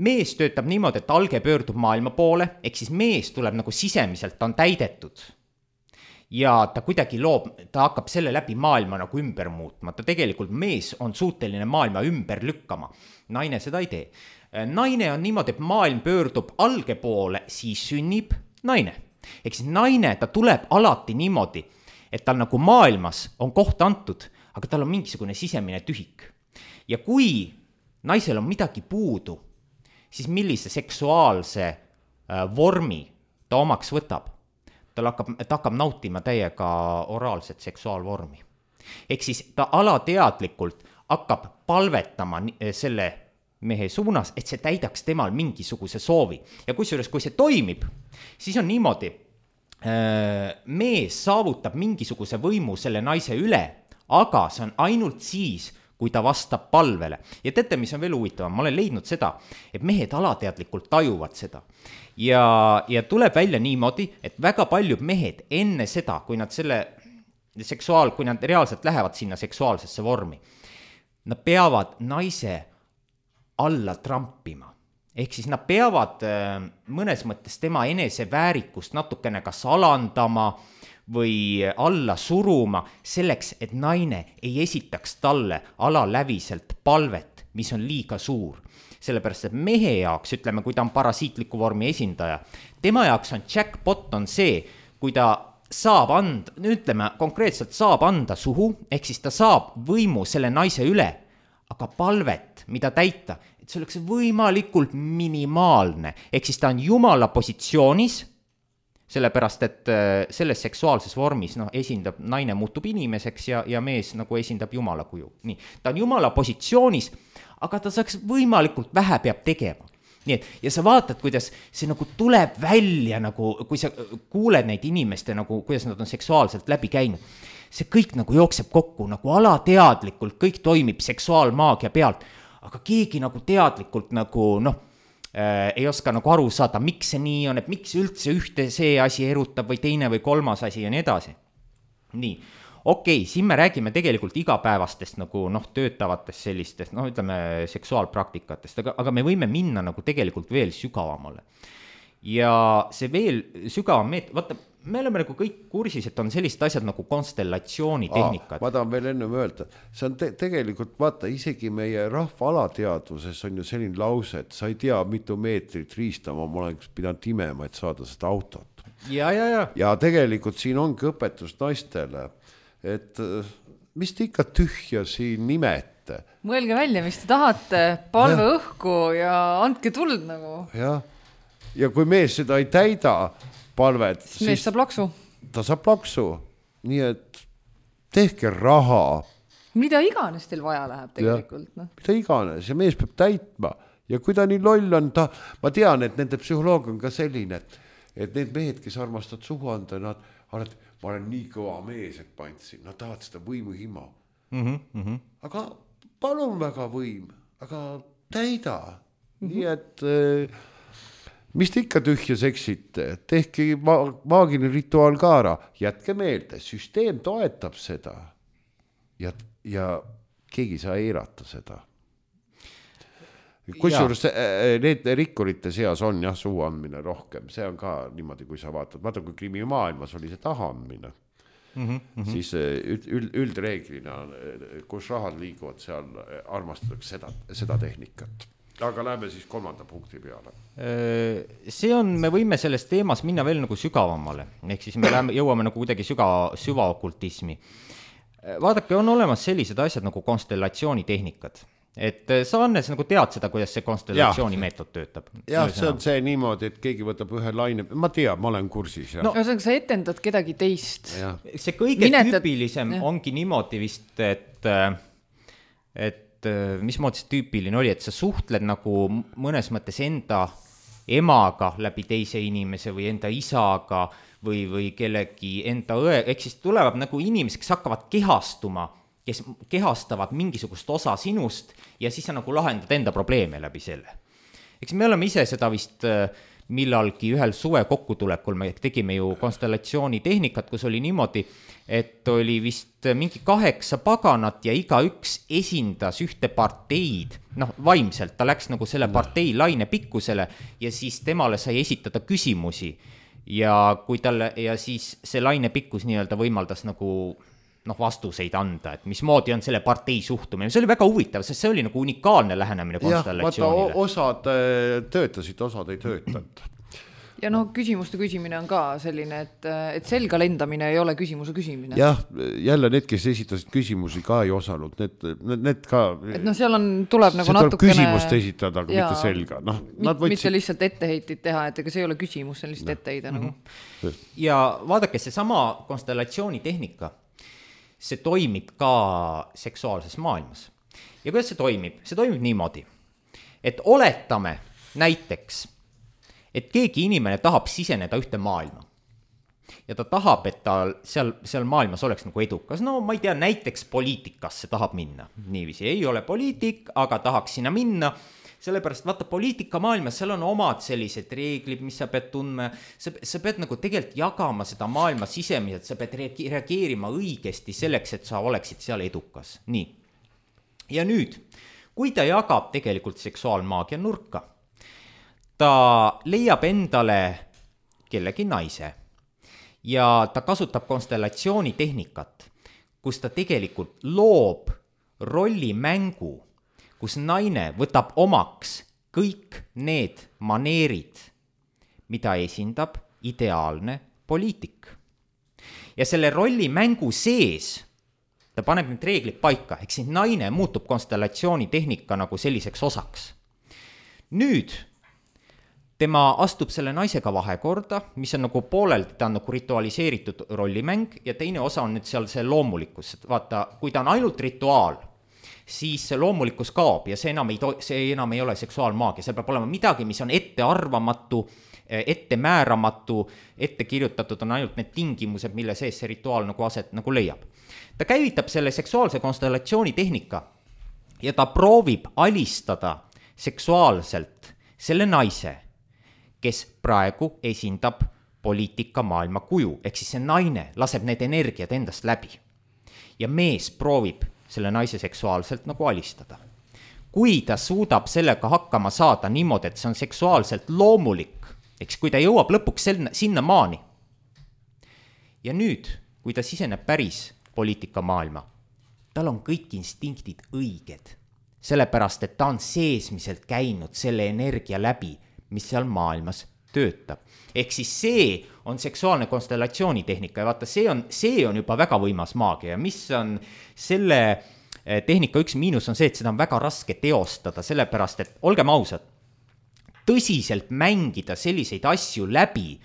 Mees töötab niimoodi, et alge pöördub maailma poole, ehk siis mees tuleb nagu sisemiselt, ta on täidetud. Ja ta kuidagi loob, ta hakkab selle läbi maailma nagu ümber muutma. Ta tegelikult mees on suuteline maailma ümber lükkama. Naine seda ei tee. Naine on niimoodi, et maailm pöördub alge poole, siis sünnib naine. Ehk siis naine, ta tuleb alati niimoodi, et tal nagu maailmas on koht antud, aga tal on mingisugune sisemine tühik. Ja kui naisel on midagi puudu, siis millise seksuaalse vormi ta omaks võtab? Ta hakkab, ta hakkab nautima täiega oraalset seksuaalvormi. Ehk siis ta alateadlikult hakkab palvetama selle mehe suunas, et see täidaks temal mingisuguse soovi. Ja kusjuures, kui see toimib, siis on niimoodi, mees saavutab mingisuguse võimu selle naise üle, aga see on ainult siis, kui ta vastab palvele. Ja teate, mis on veel huvitavam, ma olen leidnud seda, et mehed alateadlikult tajuvad seda. Ja, ja tuleb välja niimoodi, et väga paljud mehed enne seda, kui nad selle seksuaal, kui nad reaalselt lähevad sinna seksuaalsesse vormi, nad peavad naise alla trampima. Ehk siis nad peavad mõnes mõttes tema eneseväärikust natukene kas alandama või alla suruma selleks, et naine ei esitaks talle alaläviselt palvet, mis on liiga suur. Sellepärast, et mehe jaoks, ütleme, kui ta on parasiitliku vormi esindaja, tema jaoks on jackpot on see, kui ta saab anda, ütleme, konkreetselt saab anda suhu, ehk siis ta saab võimu selle naise üle, aga palvet, mida täita, et see oleks võimalikult minimaalne, ehk siis ta on jumala positsioonis, sellepärast, et selles seksuaalses vormis no, esindab, naine muutub inimeseks ja, ja mees nagu esindab jumala kuju. Nii, ta on jumala positsioonis, aga ta saaks võimalikult vähe peab tegema. Nii et, ja sa vaatad, kuidas see nagu tuleb välja, nagu, kui sa kuuled neid inimeste, nagu, kuidas nad on seksuaalselt läbi käinud, see kõik nagu jookseb kokku, nagu alateadlikult, kõik toimib seksuaalmaagia pealt, aga keegi nagu teadlikult nagu, noh, äh, ei oska nagu aru saada, miks see nii on, et miks üldse ühte see asi erutab või teine või kolmas asi ja nii edasi. Nii. Okei, okay, siin me räägime tegelikult igapäevastest nagu noh, töötavatest sellistest, noh ütleme seksuaalpraktikatest, aga, aga me võime minna nagu tegelikult veel sügavamale. Ja see veel sügavam meet-, vaata, me oleme nagu kõik kursis, et on sellised asjad nagu konstellatsioonitehnikad. Ma tahan veel ennem öelda, see on te- tegelikult, vaata, isegi meie rahva alateadvuses on ju selline lause, et sa ei tea, mitu meetrit riistama ma olen pidanud imema, et saada seda autot. Ja, ja, ja. Ja tegelikult siin ongi õpetus naistele, et mis te ikka tühja siin nimete. Mõelge välja, mis te tahate, palve ja. Õhku ja andke tuld nagu. Ja, ja kui mees seda ei täida palvet, siis mees saab laksu. Ta saab laksu, nii et tehke raha. Mida iganes teil vaja läheb tegelikult. Ja, no. Mida iganes ja mees peab täitma ja kui ta nii loll on, ta, ma tean, et nende psühholoog on ka selline, et, et need mehed, kes armastavad suhu anda, nad alati ma olen nii kõva mees, et ma andsin, nad tahavad seda võimu hima. Mm-hmm, mm-hmm. Aga palun väga võim, aga täida. Mm-hmm. Nii et äh, mis te ikka tühja seksite, tehke ma- maagiline rituaal ka ära, jätke meelde, süsteem toetab seda ja, ja keegi saa eirata seda. Kusjuures need rikkurite seas on jah suu andmine rohkem, see on ka niimoodi, kui sa vaatad, vaata kui krimimaailmas oli see tahaandmine, mm-hmm. siis üld, üldreeglina, kus rahad liiguvad, seal armastatakse seda, seda tehnikat. Aga läheme siis kolmanda punkti peale. See on, me võime selles teemas minna veel nagu sügavamale, ehk siis me läheme, jõuame nagu kuidagi süga, süvaokultismi. Vaadake, on olemas sellised asjad nagu konstellatsioonitehnikad. Et sa Annes nagu tead seda, kuidas see konstellatsiooni ja. Meetod töötab. Jah, see on see niimoodi, et keegi võtab ühe laine, ma tean, ma olen kursis. Ja. No, sa etendad kedagi teist. Ja. See kõige Minetad... tüüpilisem ja. Ongi niimoodi vist, et, et mismoodi see tüüpiline oli, et sa suhtled nagu mõnes mõttes enda emaga läbi teise inimese või enda isaga või, või kellegi enda õe, ehk siis tulevad nagu inimesed, kes hakkavad kehastuma, kes kehastavad mingisugust osa sinust ja siis sa nagu lahendad enda probleeme läbi selle. Eks me oleme ise seda vist millalgi ühel suve kokkutulekul me tegime ju konstellatsioonitehnikat, kus oli niimoodi, et oli vist mingi kaheksa paganat ja igaüks esindas ühte parteid, noh vaimselt, ta läks nagu selle partei laine pikkusele ja siis temale sai esitada küsimusi ja kui talle, ja siis see laine pikkus nii-öelda võimaldas nagu noh, vastuseid anda, et mismoodi on selle partei suhtumine. See oli väga huvitav, sest see oli nagu unikaalne lähenemine konstellatsioonile. Jah, vaata, osad töötasid, osad ei töötanud. Ja noh, küsimuste küsimine on ka selline, et, et selga lendamine ei ole küsimuse küsimine. Jah, jälle need, kes esitasid küsimusi ka ei osanud, need, need ka... Et noh, seal on, tuleb nagu natukene... See tuleb küsimust esitada, aga ja, mitte selga. No, nad võtsid... Mitte lihtsalt etteheitit teha, et ega see ei ole küsimus, see on lihtsalt no. etteheide nagu. Mm-hmm. Ja vaadake, see sama konstellatsioonitehnika, see toimib ka seksuaalses maailmas. Ja kuidas see toimib? See toimib niimoodi, et oletame näiteks, et keegi inimene tahab siseneda ühte maailma ja ta tahab, et ta seal, seal maailmas oleks nagu edukas. No ma ei tea, näiteks poliitikasse tahab minna. Niiviisi ei ole poliitik, aga tahaks sinna minna. Sellepärast vaata poliitika maailmas, seal on omad sellised reeglid, mis sa pead tundma. Sa, sa pead nagu tegelikult jagama seda maailma sisemiselt, sa pead reageerima õigesti selleks, et sa oleksid seal edukas. Nii. Ja nüüd, kui ta jagab tegelikult seksuaalmaagia nurka, ta leiab endale kellegi naise ja ta kasutab konstellatsioonitehnikat, kus ta tegelikult loob rollimängu, kus naine võtab omaks kõik need maneerid, mida esindab ideaalne poliitik. Ja selle rollimängu sees ta paneb need reeglid paika, eks siis naine muutub konstellatsioonitehnika nagu selliseks osaks. Nüüd tema astub selle naisega vahekorda, mis on nagu poolelt, ta on nagu ritualiseeritud rollimäng ja teine osa on nüüd seal see loomulikkus. Vaata, kui ta on ainult rituaal, siis see loomulikkus kaob ja see enam ei, to- see enam ei ole seksuaalmaagia. See peab olema midagi, mis on ettearvamatu, ettemääramatu, ette kirjutatud on ainult need tingimused, mille sees see rituaal nagu aset nagu leiab. Ta käivitab selle seksuaalse konstellatsioonitehnika ja ta proovib alistada seksuaalselt selle naise, kes praegu esindab poliitika maailma kuju, ehk siis see naine laseb need energiad endast läbi. Ja mees proovib selle naise seksuaalselt nagu alistada. Kui ta suudab sellega hakkama saada niimoodi, et see on seksuaalselt loomulik, eks kui ta jõuab lõpuks sinna maani. Ja nüüd, kui ta siseneb päris poliitika maailma, tal on kõik instinktid õiged, sellepärast, et ta on seesmiselt käinud selle energia läbi, mis seal maailmas töötab. Ehk siis see on seksuaalne konstellatsioonitehnika ja vaata, see on, see on juba väga võimas maagia ja mis on selle tehnika üks miinus on see, et seda on väga raske teostada, sellepärast, et olgem ausad, tõsiselt mängida selliseid asju läbi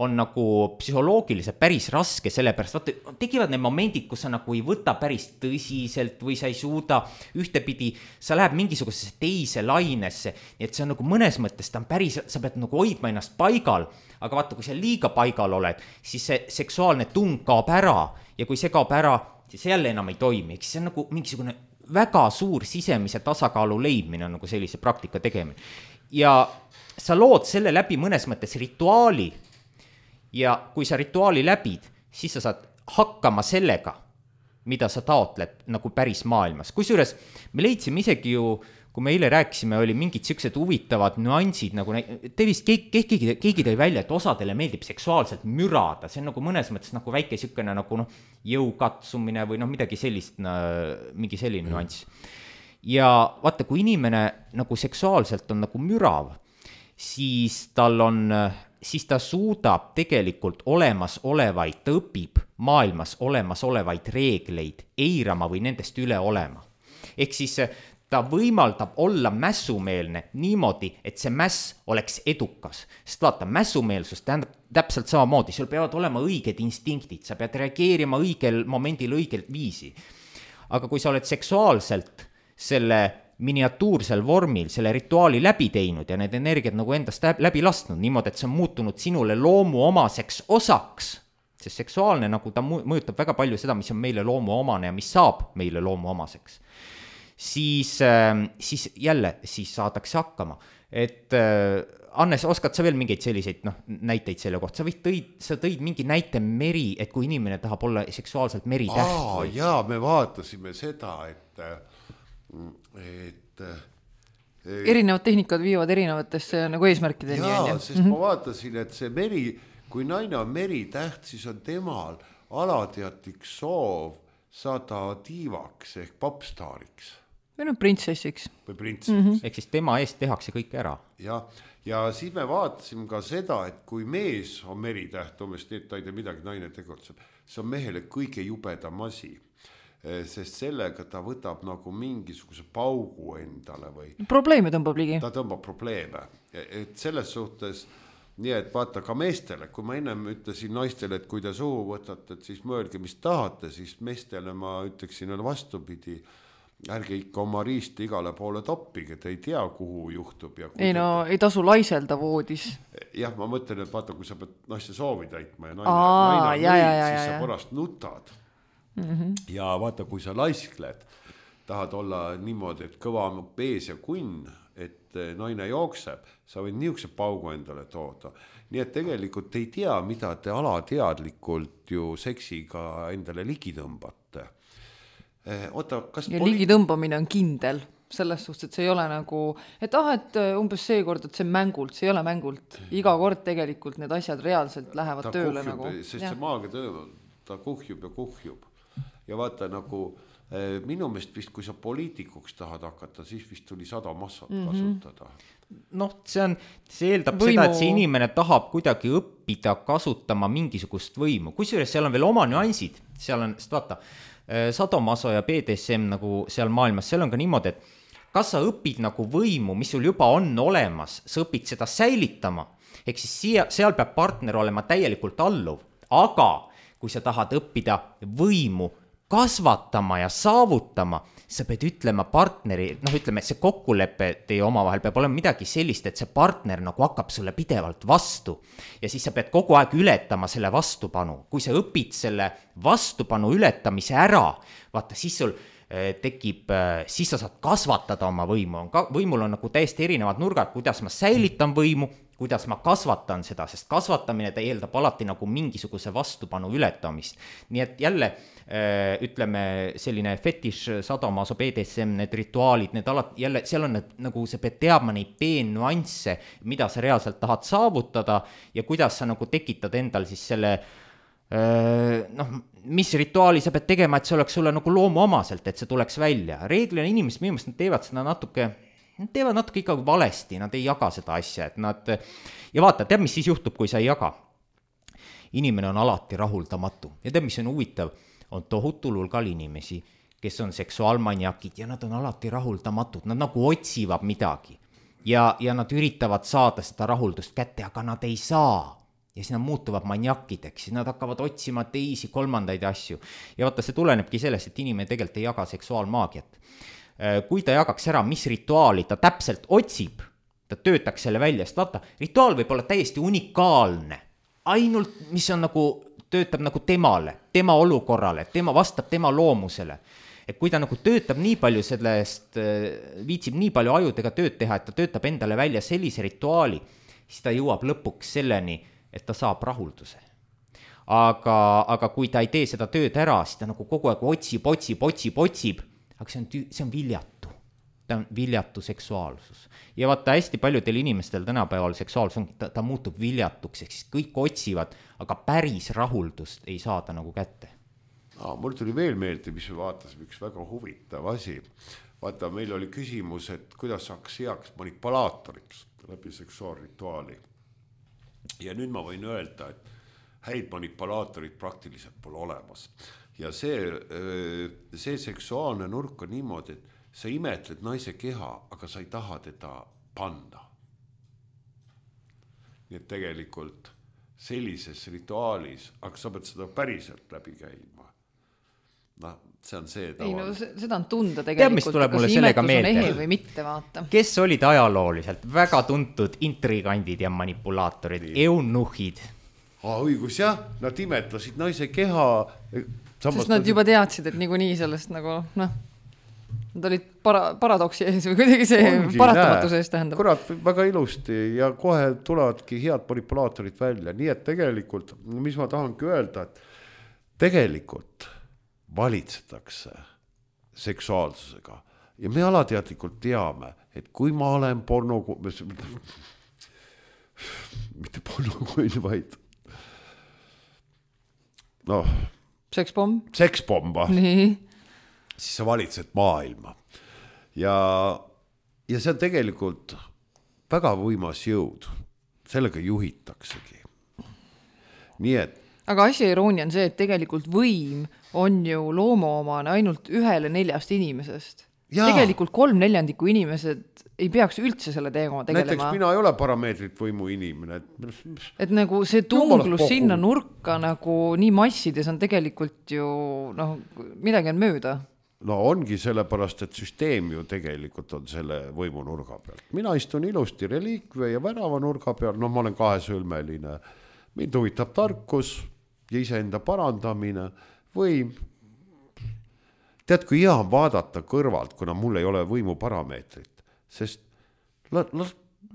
on nagu psühholoogiliselt päris raske, sellepärast vaata, tekivad need momendid, kus sa nagu ei võta päris tõsiselt või sa ei suuda ühtepidi, sa läheb mingisugusesse teise lainesse, nii et see on nagu mõnes mõttes, ta on päris, sa pead nagu hoidma ennast paigal, aga vaata, kui sa liiga paigal oled, siis see seksuaalne tung kaob ära ja kui see kaob ära, siis jälle enam ei toimi, eks see on nagu mingisugune väga suur sisemise tasakaalu leidmine on nagu sellise praktika tegemine. Ja sa lood selle läbi mõnes mõttes rituaali, ja kui sa rituaali läbid, siis sa saad hakkama sellega, mida sa taotled nagu päris maailmas. Kusjuures me leidsime isegi ju, kui me eile rääkisime, oli mingid siuksed huvitavad nüansid, nagu te vist keegi, keegi, keegi tõi välja, et osadele meeldib seksuaalselt mürada. See on nagu mõnes mõttes nagu väike siukene nagu noh, jõukatsumine või noh, midagi sellist, mingi selline nüanss. Ja vaata, kui inimene nagu seksuaalselt on nagu mürav, siis tal on... siis ta suudab tegelikult olemas olevaid, ta õpib maailmas olemas olevaid reegleid eirama või nendest üle olema. Ehk siis ta võimaldab olla mässumeelne niimoodi, et see mäss oleks edukas. Sest vaata, mässumeelsus tähendab täpselt samamoodi, sul peavad olema õiged instinktid, sa pead reageerima õigel momendil õigel viisi. Aga kui sa oled seksuaalselt selle miniatuursel vormil selle rituaali läbi teinud ja need energiat nagu endast läbi lastnud niimoodi, et see on muutunud sinule loomu omaseks osaks, sest seksuaalne nagu ta mõjutab väga palju seda, mis on meile loomu omane ja mis saab meile loomu omaseks, siis, siis jälle siis saadakse hakkama. Et Annes, oskad sa veel mingeid selliseid noh, näiteid selle kohta? Sa, võid tõid, sa tõid mingi näite meri, et kui inimene tahab olla seksuaalselt meritäht. Aa, jaa, me vaatasime seda, et, et erinevad tehnikad viivad erinevatesse nagu eesmärkideni. Jaa, sest ma vaatasin, et see meri, kui naine on meritäht, siis on temal alateadlik soov saada diivaks ehk popstaariks. Või no printsessiks. Või printsessiks. Mm-hmm. Ehk siis tema eest tehakse kõik ära. Ja, ja siis me vaatasime ka seda, et kui mees on meritäht, umbes nii, et ta ei tee midagi, naine tegutseb, see on mehele kõige jubedam asi, sest sellega ta võtab nagu mingisuguse paugu endale või probleeme tõmbab ligi. Ta tõmbab probleeme. Et selles suhtes, nii et vaata ka meestele, kui ma ennem ütlesin naistele, et kui te suhu võtate, et siis mõelge, mis tahate, siis meestele ma ütleksin vastupidi, ärge ikka oma riiste igale poole toppige, te ei tea, kuhu juhtub. Ja ei no, te... ei tasu laiselda voodis. Jah, ma mõtlen, et vaata, kui sa pead naiste soovi täitma ja naine, Aa, naine ja, mõid, ja, ja, siis ja, sa ja. pärast nutad. Mm-hmm. Ja vaata, kui sa laiskled, tahad olla niimoodi, et kõva on pees ja kunn, et naine jookseb, sa võid niisuguse paugu endale tooda. Nii et tegelikult ei tea, mida te alateadlikult ju seksiga endale ligi tõmbate. Oota, kas ja poli... ligi tõmbamine on kindel selles suhtes, et see ei ole nagu, et ah, et umbes see kord, et see mängult, see ei ole mängult. Iga kord tegelikult need asjad reaalselt lähevad ta tööle kuhjub, nagu. Sest ja. see maaga töö, ta kuhjub ja kuhjub. Ja vaata nagu eh, minu meelest vist, kui sa poliitikuks tahad hakata, siis vist tuli sada massat mm-hmm. kasutada. Noh, see on, see eeldab Võimu... seda, et see inimene tahab kuidagi õppida kasutama mingisugust võimu. Kusjuures seal on veel oma nüansid, seal on, sest vaata, sadomaso ja B D S M nagu seal maailmas, seal on ka niimoodi, et kas sa õpid nagu võimu, mis sul juba on olemas, sa õpid seda säilitama, ehk siis siia, seal peab partner olema täielikult alluv, aga kui sa tahad õppida võimu kasvatama ja saavutama, sa pead ütlema partneri, noh ütleme, see kokkulepe teie omavahel peab olema midagi sellist, et see partner nagu hakkab sulle pidevalt vastu ja siis sa pead kogu aeg ületama selle vastupanu. Kui sa õpid selle vastupanu ületamise ära, vaata siis sul äh, tekib, äh, siis sa saad kasvatada oma võimu. Ka, võimul on nagu täiesti erinevad nurgad, kuidas ma säilitan võimu, kuidas ma kasvatan seda, sest kasvatamine ta eeldab alati nagu mingisuguse vastupanu ületamist. Nii et jälle äh, ütleme selline fetiš, sadomaso, B D S M, need rituaalid, need alati, jälle seal on need, nagu sa pead teadma neid peennuansse, mida sa reaalselt tahad saavutada ja kuidas sa nagu tekitad endal siis selle äh, noh, mis rituaali sa pead tegema, et see oleks sulle nagu loomuomaselt, et see tuleks välja. Reeglina inimesed minu meelest nad teevad seda natuke Nad teevad natuke ikkagi valesti, nad ei jaga seda asja, et nad, ja vaata, tead, mis siis juhtub, kui sa ei jaga? Inimene on alati rahuldamatu ja tead, mis on huvitav, on tohutul hulgal inimesi, kes on seksuaalmaniakid ja nad on alati rahuldamatud, nad nagu otsivad midagi ja, ja nad üritavad saada seda rahuldust kätte, aga nad ei saa. Ja siis nad muutuvad maniakideks, siis nad hakkavad otsima teisi kolmandaid asju. Ja vaata, see tulenebki sellest, et inimene tegelikult ei jaga seksuaalmaagiat. Kui ta jagaks ära, mis rituaali ta täpselt otsib, ta töötaks selle välja, sest vaata, rituaal võib olla täiesti unikaalne, ainult mis on nagu, töötab nagu temale, tema olukorrale, tema vastab tema loomusele. Et kui ta nagu töötab nii palju sellest, viitsib nii palju ajudega tööd teha, et ta töötab endale välja sellise rituaali, siis ta jõuab lõpuks selleni, et ta saab rahulduse. Aga, aga kui ta ei tee seda tööd ära, siis ta nagu kogu aeg otsib, otsib, otsib, otsib, aga see on, see on viljatu, ta on viljatu seksuaalsus. Ja vaata, hästi paljudel inimestel tänapäeval seksuaalsus on, ta, ta muutub viljatuks, ehk siis kõik otsivad, aga päris rahuldust ei saada nagu kätte. Aa, mul tuli veel meelde, mis me vaatasime, üks väga huvitav asi. Vaata, meil oli küsimus, et kuidas saaks heaks manipulaatoriks läbi seksuaalrituaali. Ja nüüd ma võin öelda, et häid manipulaatorid praktiliselt pole olemas. Ja see, see seksuaalne nurk on niimoodi, et sa imetled naise keha, aga sa ei taha teda panna. Nii et tegelikult sellises rituaalis, aga sa pead seda päriselt läbi käima. No, see on see tavaline. Ei, no seda on tunda tegelikult, Tead, kas imetlus on ehe või mitte, vaata. Kes olid ajalooliselt väga tuntud intrigandid ja manipulaatorid, eunuhid? Aa, õigus jah, nad imetlesid naise keha. Sest nad juba teadsid, et niikuinii sellest nagu, noh. Nad olid para, paradoksi ees või kuidagi see Ongi, paratamatuse ees tähendab. Kurat, väga ilusti ja kohe tulevadki head manipulaatorid välja. Nii et tegelikult, mis ma tahangi öelda, et tegelikult valitsetakse seksuaalsusega ja me alateadlikult teame, et kui ma olen porno, mitte pornokuin, vaid noh, sekspomm, sekspomm, nii. siis sa valitsed maailma ja, ja see on tegelikult väga võimas jõud, sellega juhitaksegi. Nii et aga asja iroonia on see, et tegelikult võim on ju loomaomane ainult ühele neljast inimesest. Ja. Tegelikult kolm neljandikku inimesed ei peaks üldse selle teema tegelema. Näiteks mina ei ole parameetrit võimu inimene. Et, et nagu see tunglus sinna nurka nagu nii massides on tegelikult ju noh, midagi on mööda. No ongi sellepärast, et süsteem ju tegelikult on selle võimu nurga peal. Mina istun ilusti reliikve ja värava nurga peal, no ma olen kahesõlmeline. Mind huvitab tarkus ja iseenda parandamine, võim. Tead, kui hea on vaadata kõrvalt, kuna mul ei ole võimu parameetrit, sest la, la,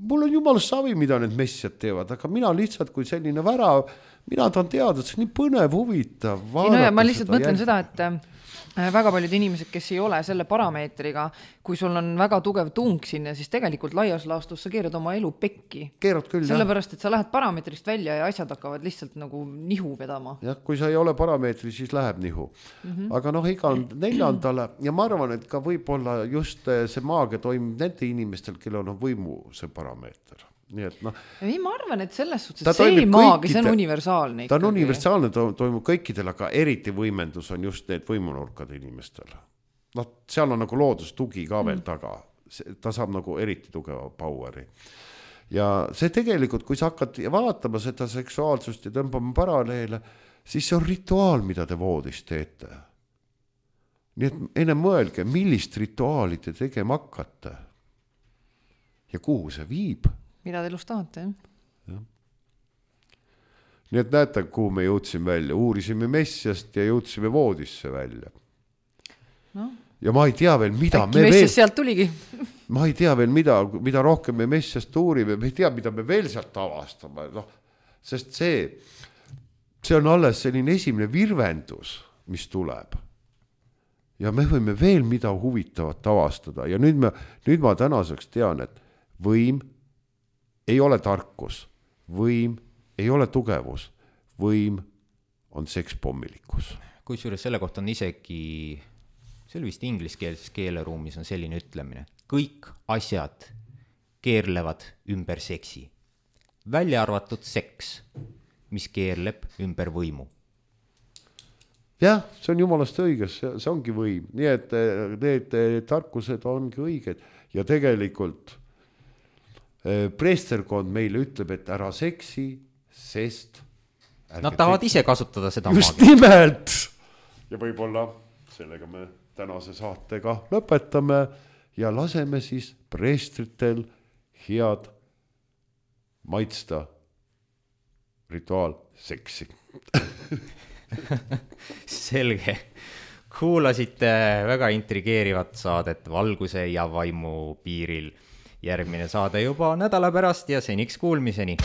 mul on jumala savi, mida need messiad teevad, aga mina lihtsalt kui selline värav, mina tahan teada, et see on nii põnev, huvitav. No ja ma lihtsalt mõtlen jälg... seda, et väga paljud inimesed, kes ei ole selle parameetriga, kui sul on väga tugev tung sinna, siis tegelikult laias laastus sa keerad oma elu pekki. Keerad küll, sellepärast, et sa lähed parameetrist välja ja asjad hakkavad lihtsalt nagu nihu vedama. Jah, kui sa ei ole parameetri, siis läheb nihu. Mm-hmm. Aga noh, iga neljandale ja ma arvan, et ka võib-olla just see maagia toimub nende inimestel, kellel on võimu see parameeter. Nii et noh. Ei, ma arvan, et selles suhtes, et see maagia, see on universaalne. Ta on ikkagi. universaalne, ta toimub kõikidel, aga eriti võimendus on just need võimunurkad inimestel. No, seal on nagu loodustugi ka veel taga. Ta saab nagu eriti tugeva poweri. Ja see tegelikult, kui sa hakkad vaatama seda seksuaalsust ja tõmbama paralleele, siis see on rituaal, mida te voodis teete. Nii et enne mõelge, millist rituaali te tegema hakkate ja kuhu see viib. Mida te elus tahate, jah? Ja. Nii et näete, kuhu me jõudsime välja. Uurisime messiast ja jõudsime voodisse välja. No. Ja ma ei tea veel, mida Äkki me veel... messiast sealt tuligi. Ma ei tea veel, mida, mida rohkem me messiast uurime. Me ei tea, mida me veel sealt avastame. No, sest see, see on alles selline esimene virvendus, mis tuleb. Ja me võime veel mida huvitavat avastada. Ja nüüd, me, nüüd ma tänaseks tean, et võim ei ole tarkus, võim ei ole tugevus, võim on sekspommilikkus. Kusjuures selle kohta on isegi, see oli vist ingliskeelses keeleruumis on selline ütlemine, kõik asjad keerlevad ümber seksi, välja arvatud seks, mis keerleb ümber võimu. Jah, see on jumalast õiges, see ongi võim, nii et need tarkused ongi õiged ja tegelikult preesterkond meile ütleb, et ära seksi, sest nad tahavad ise kasutada seda just maagia. Nimelt! Ja võib-olla sellega me tänase saatega lõpetame ja laseme siis preestritel head maitsta rituaal seksi. Selge. Kuulasite väga intrigeerivat saadet Valguse ja vaimu piiril. Järgmine saade juba nädala pärast ja seniks kuulmiseni.